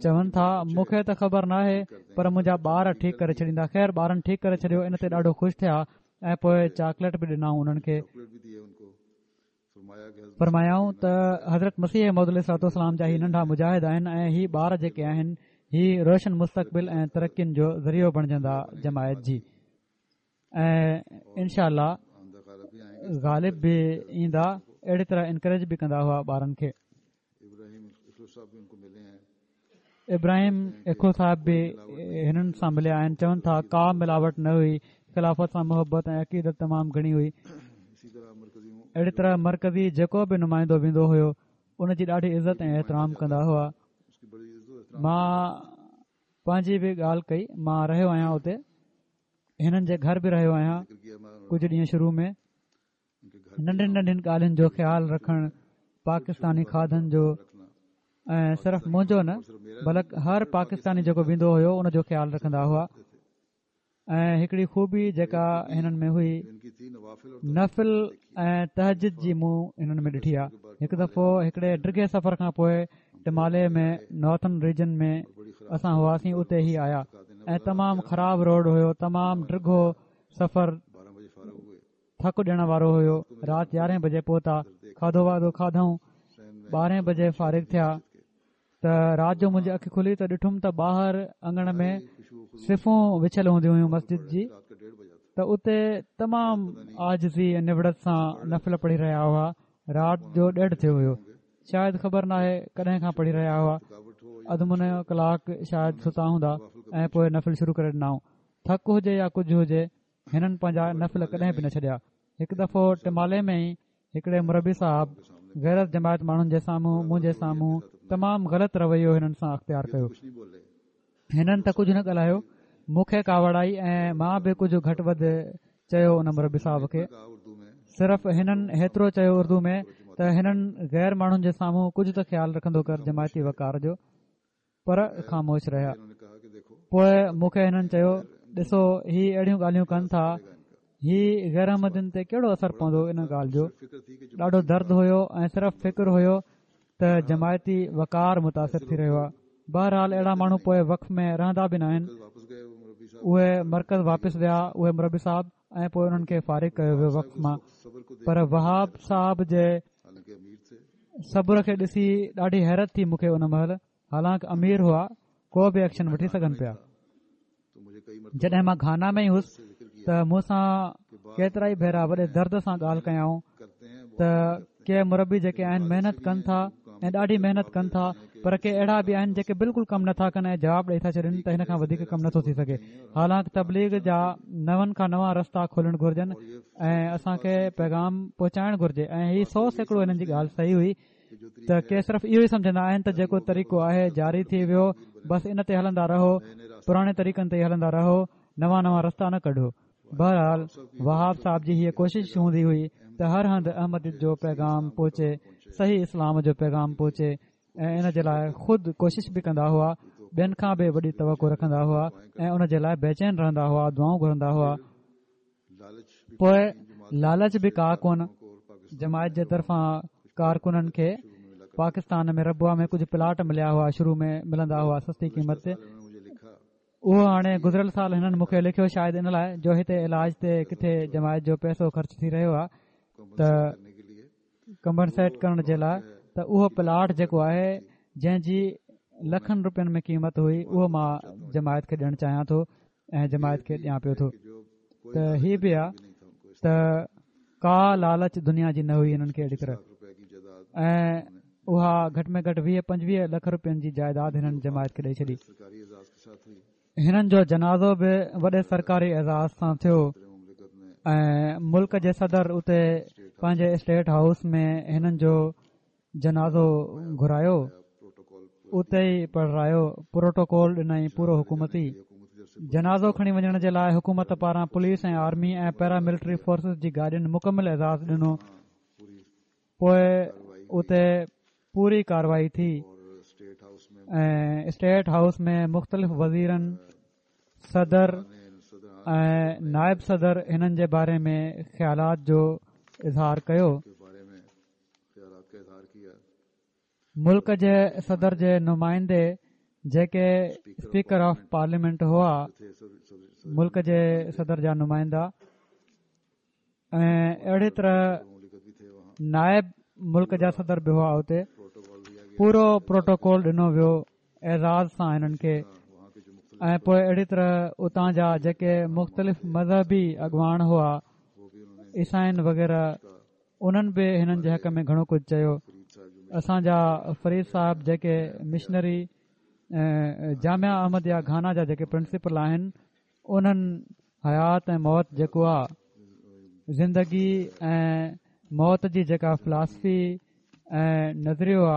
چون ٿا مون کي ته خبر ناهي پر منهنجا ٻار ٺيڪ ڪري ڇڏيندا خير ٻارن ٺيڪ ڪري ڇڏيو ان تي ڏاڍو خوش ٿيا ۽ پوء چاڪليٽ به ڏنائون انهن کي فرمايائون ته حضرت مسيح موعود عليه الصلوة والسلام جا هي ننڍا مجاهد آهن ۽ هي ٻار جيڪي آهن هي روشن مستقبل ۽ ترقين جو ذريعو بڻجندا جماعت جي ۽ انشاء الله غالب به ايندا اهڙي طرح انڪريج به ڪندا هئا ٻارن کي ابراهيم اکو صاحب به هنن سان مليا آهن چون ٿا ڪا ملاوٽ نه هئي خلافت سان محبت ۽ عقيدت تمام گهڻي هئي اهڙي طرح مرڪزي جيڪو به نمائندو ويندو هيو ان جي ڏاڍي عزت ۽ احترام ڪندا هئا مان پنهنجي به ڳالهه ڪئي مان رهيو آهيان اتي هنن جي گهر به رهيو آهيان ڪجهه ڏينهن شروع ۾ ننڍين ننڍين ڳالهين جو خيال رکڻ پاڪستاني کاڌن جو ۽ صرف منهنجو نه بلڪ هر پاڪستاني جيڪو ويندو هيو ان جو خيال رکندا هئا ۽ هڪڙي خوبي جيڪا هنن ۾ هئي نفل ۽ تهجد جي مون هنن ۾ ڏٺي آهي هڪ دفعو هڪڙي ڊگهي سفر کان پوء ٽمالي ۾ نارٿن ريجن ۾ اسان هئاسين اتي هي آيا ۽ تمام خراب روڊ هيو تمام ڊگهو سفر ٿڪ ڏيڻ وارو هيو رات يارهين بجي پهتا کاڌو واڌو کاڌائون ٻارهين بجي فارغ ٿيا ته رات جو منهنجي اک کلي ته ڏٺم ته ٻاهر اڱڻ ۾ صفون وڇيل هونديون هيون مسجد جي ته اتي تمام عاجزي ۽ نوڙت سان نفل پڙهي رهيا هئا رات جو ڏيڍ ٿيو هيو شايد خبر ناهي ڪڏهن کان پڙهي رهيا هئا اڌ منو ڪلاڪ شايد ستا هوندا ۽ پوء نفل شروع ڪري ڏنائون ٿڪ هجي يا ڪجهه هجي هنن پنهنجا نفل ڪڏهن به نه ڇڏيا هڪ دفعو ٽمالي ۾ ئي هڪڙي مربي صاحب غير از جماعت ماڻهن جي سامهون منهنجي سامهون تمام غلط رويو هنن سان اختيار ڪيو هنن ته ڪجهه نه ڳالهايو، مون کي ڪاوڙ آئي ۽ مان به ڪجهه گهٽ وڌ چيو ان مربي صاحب کي. صرف هنن هيترو چيو اردو ۾ ته هنن غير ماڻهن جي سامهون ڪجهه ته خيال رکندو ڪر جماعتي وقار جو. پر خاموش رهيا. پوء مون کي هنن چيو ڏسو هي اهڙيون ڳالهيون ڪن ٿا هي غير احمدين تي ڪهڙو اثر پوندو ان ڳالهه جو ڏاڍو درد هيو ۽ صرف فڪر هيو ته جماعتي وقار متاثر ٿي رهيو آهي بهرحال اهڙا ماڻهو پوء وقف ۾ رهندا به ناهن اهي مرڪز واپس ويا اهي مربي صاحب ۽ پوء انهن کي فارغ ڪيو ويو وقف مان پر وهاب صاحب جي صبر کي ڏسي ڏاڍي حيرت ٿي مون کي ان مهل حالانڪ امير هئا ڪو به ايڪشن وٺي سگهن پيا جڏهن مان گهانا ۾ ئي هوس ته مون سان ڪيترا ئي ڀيرا وڏي درد سان ڳالهه ڪيائون ته ڪي مربي جيڪي آهن محنت ڪن ٿا ۽ ڏاڍي محنت ڪن ٿا پر ڪي اهڙا به آهن جيڪي بلڪل ڪم نٿا ڪن ۽ جواب ڏئي ٿا ڇڏين ته هن کان وڌيڪ ڪم نٿو ٿي سگهي حالانڪ تبليغ جا نون کان نوان رستا کولڻ گهرجن ۽ اسان کي پيغام پهچائڻ گهرجي ۽ هي 100% هنن جي ڳالهه صحيح هئي ته ڪي صرف اهو ئي سمجهندا آهن ته جيڪو طريقو آهي جاري ٿي ويو بس ان تي هلندا رهو پراڻي طريقن تي ئي هلندا رهو نوان نوان رستا نه ڪڍو بهرحال وهاب صاحب جي هيء ڪوشش هوندي هئي ته هر هنڌ احمديت جو پيغام پهچي صحيح اسلام جو پيغام پهچي ۽ ان جي لاء خود ڪوشش به ڪندا هئا ٻين کان به وڏي توقع رکندا هئا ۽ ان جي لاء بيچين رهندا هئا دعائون گهرندا هئا پوء لالچ به ڪا ڪونه جماعت جي طرفان ڪارڪنن کي پاڪستان ۾ ربوه ۾ ڪجهه پلاٽ مليا هئا شروع ۾ ملندا هئا سستي قيمت تي اهو هاڻي گذريل سال هنن مون کي لکيو شايد ان لاء جو هتي علاج تي ڪٿي جماعت جو پئسو خرچ ٿي رهيو آهي ته ڪمپنسيٽ ڪرڻ جي لاء ته اهو پلاٽ جيڪو آهي جنهن جي لکن روپين ۾ قيمت هئي اهو مان جماعت کي ڏيڻ چاهيان ٿو ۽ جماعت کي ڏيان پيو ٿو ته هي به آ ته ڪا لالچ دنيا جي نه هئي هنن کي اهڙي طرح ۽ اها گهٽ ۾ گهٽ 20 25 لک روپين جي جائيداد هنن جماعت کي ڏئي ڇڏي هنن جو جنازو به وڏي سرڪاري اعزاز سان ٿيو ۽ ملڪ جي صدر اتي پنهنجي اسٽيٽ هائوس ۾ هنن جو جنازو گهرايو. اتي ئي پڙهرايو، پروٽوڪول ڏنائين پورو حڪومتي. جنازو کڻي وڃڻ جي لاء حڪومت پاران police ۽ army ۽ para military forces جي گاڏين مڪمل اعزاز ڏنو. پوء اتي پوري ڪارروائي ٿي ۽ اسٽيٽ هائوس ۾ مختلف وزيرن، صدر ۽ نائب صدر هنن جي باري ۾ خيالات جو اظهار ڪيو. ملڪ جي صدر جي نمائندي جيڪي اسپيڪر آف پارليامينٽ هئا ملڪ جي صدر جا نمائندا ۽ اهڙي طرح نائب ملڪ جا صدر به هئا اتي پورو پروٽوڪول ڏنو ويو اعزاز سان هنن کي ۽ پوء اهڙي طرح اتان جا جيڪي مختلف مذهبي اڳواڻ هئا عيسائين وغيره انهن به هنن جي حق ۾ گهڻو ڪجهه چيو. اسان جا فريد صاحب جيڪي مشنري جامعه احمديه گهانا جا جيڪي پرنسپل آهن انهن حيات ۽ موت جيڪو آ زندگي ۽ موت جي جيڪا فلاسفي ۽ نظريو آ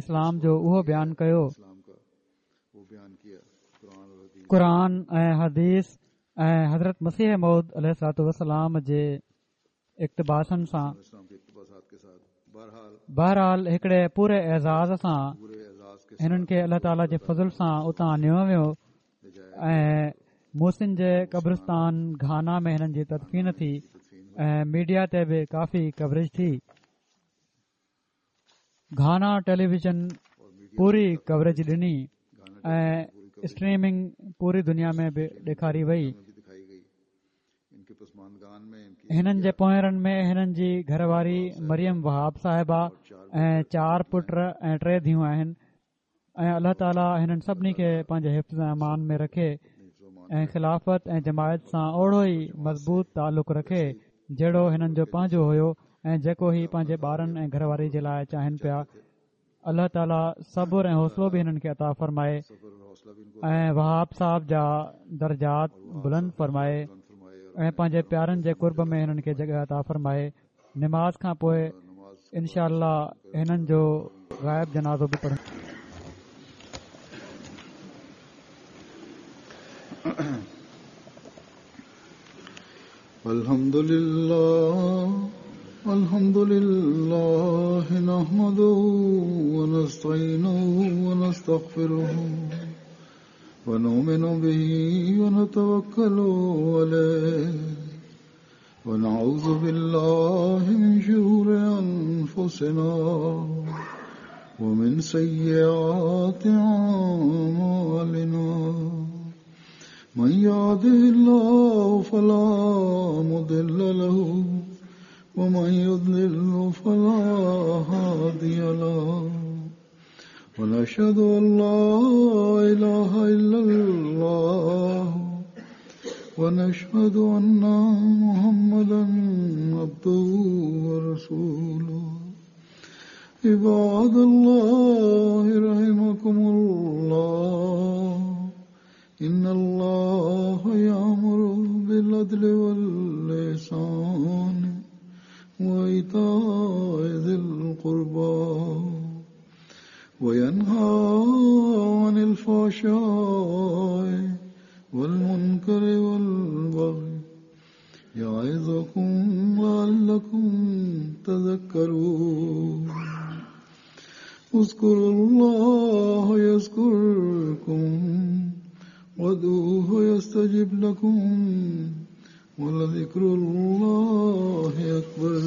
اسلام جو اهو بيان ڪيو. قرآن ۽ حديث ۽ حضرت مسيح موعود عليه الصلوة والسلام جي اقتباسن سان بهرحال هڪڙي پوري اعزاز سان هنن کي الله تعاليٰ جي فضل سان اتان نيو ويو ۽ موصين جي قبرستان گهانا ۾ هنن جي تدفين ٿي ۽ ميڊيا تي به ڪافي ڪوريج ٿي گهانا ٽيليويزن پوري ڪوريج ڏني ۽ اسٽريمنگ پوري دنيا ۾ به ڏيکاري وئي هنن جي پوئرن ۾ هنن جي گهر واري مريم وهاب صاحبه ۽ چار پٽ ۽ ٽي ڌيون آهن ۽ الله تعالي هنن سڀني کي پنهنجي حفظ ۽ امان ۾ رکي ۽ خلافت ۽ جماعت سان اوڙو ئي مضبوط تعلق رکي جهڙو هنن جو پنهنجو هيو ۽ جيڪو هي پنهنجي ٻارن ۽ گهر واري جي لاء چاهين پيا الله تعالي صبر ۽ حوصلو به هنن کي عطا فرمائي ۽ وهاب صاحب جا درجات بلند فرمائي ۽ پنهنجي پيارن جي قرب ۾ هنن کي جڳهه عطا فرمائي نماز کان پوء انشاء الله هنن جو غائب جنازو به پڙهنداسين. الحمد لله الحمد لله نحمده ونستعينه ونستغفره ونؤمن به ونتوكل عليه ونعوذ بالله من شرور أنفسنا ومن سيئات أعمالنا من يهده الله فلا مضل له ومن يضلل فلا هادي له ونشهد أن لا إله إلا الله ونشهد أن محمدا عبده ورسوله عباد الله رحمكم الله إن الله يأمر بالعدل واللسان وإيتاء ذي القربى وينهى عن الفحشاء والمنكر والبغي يعظكم لعلكم تذكرون اذكروا الله يذكركم وادعوه يستجب لكم ولذكر الله أكبر.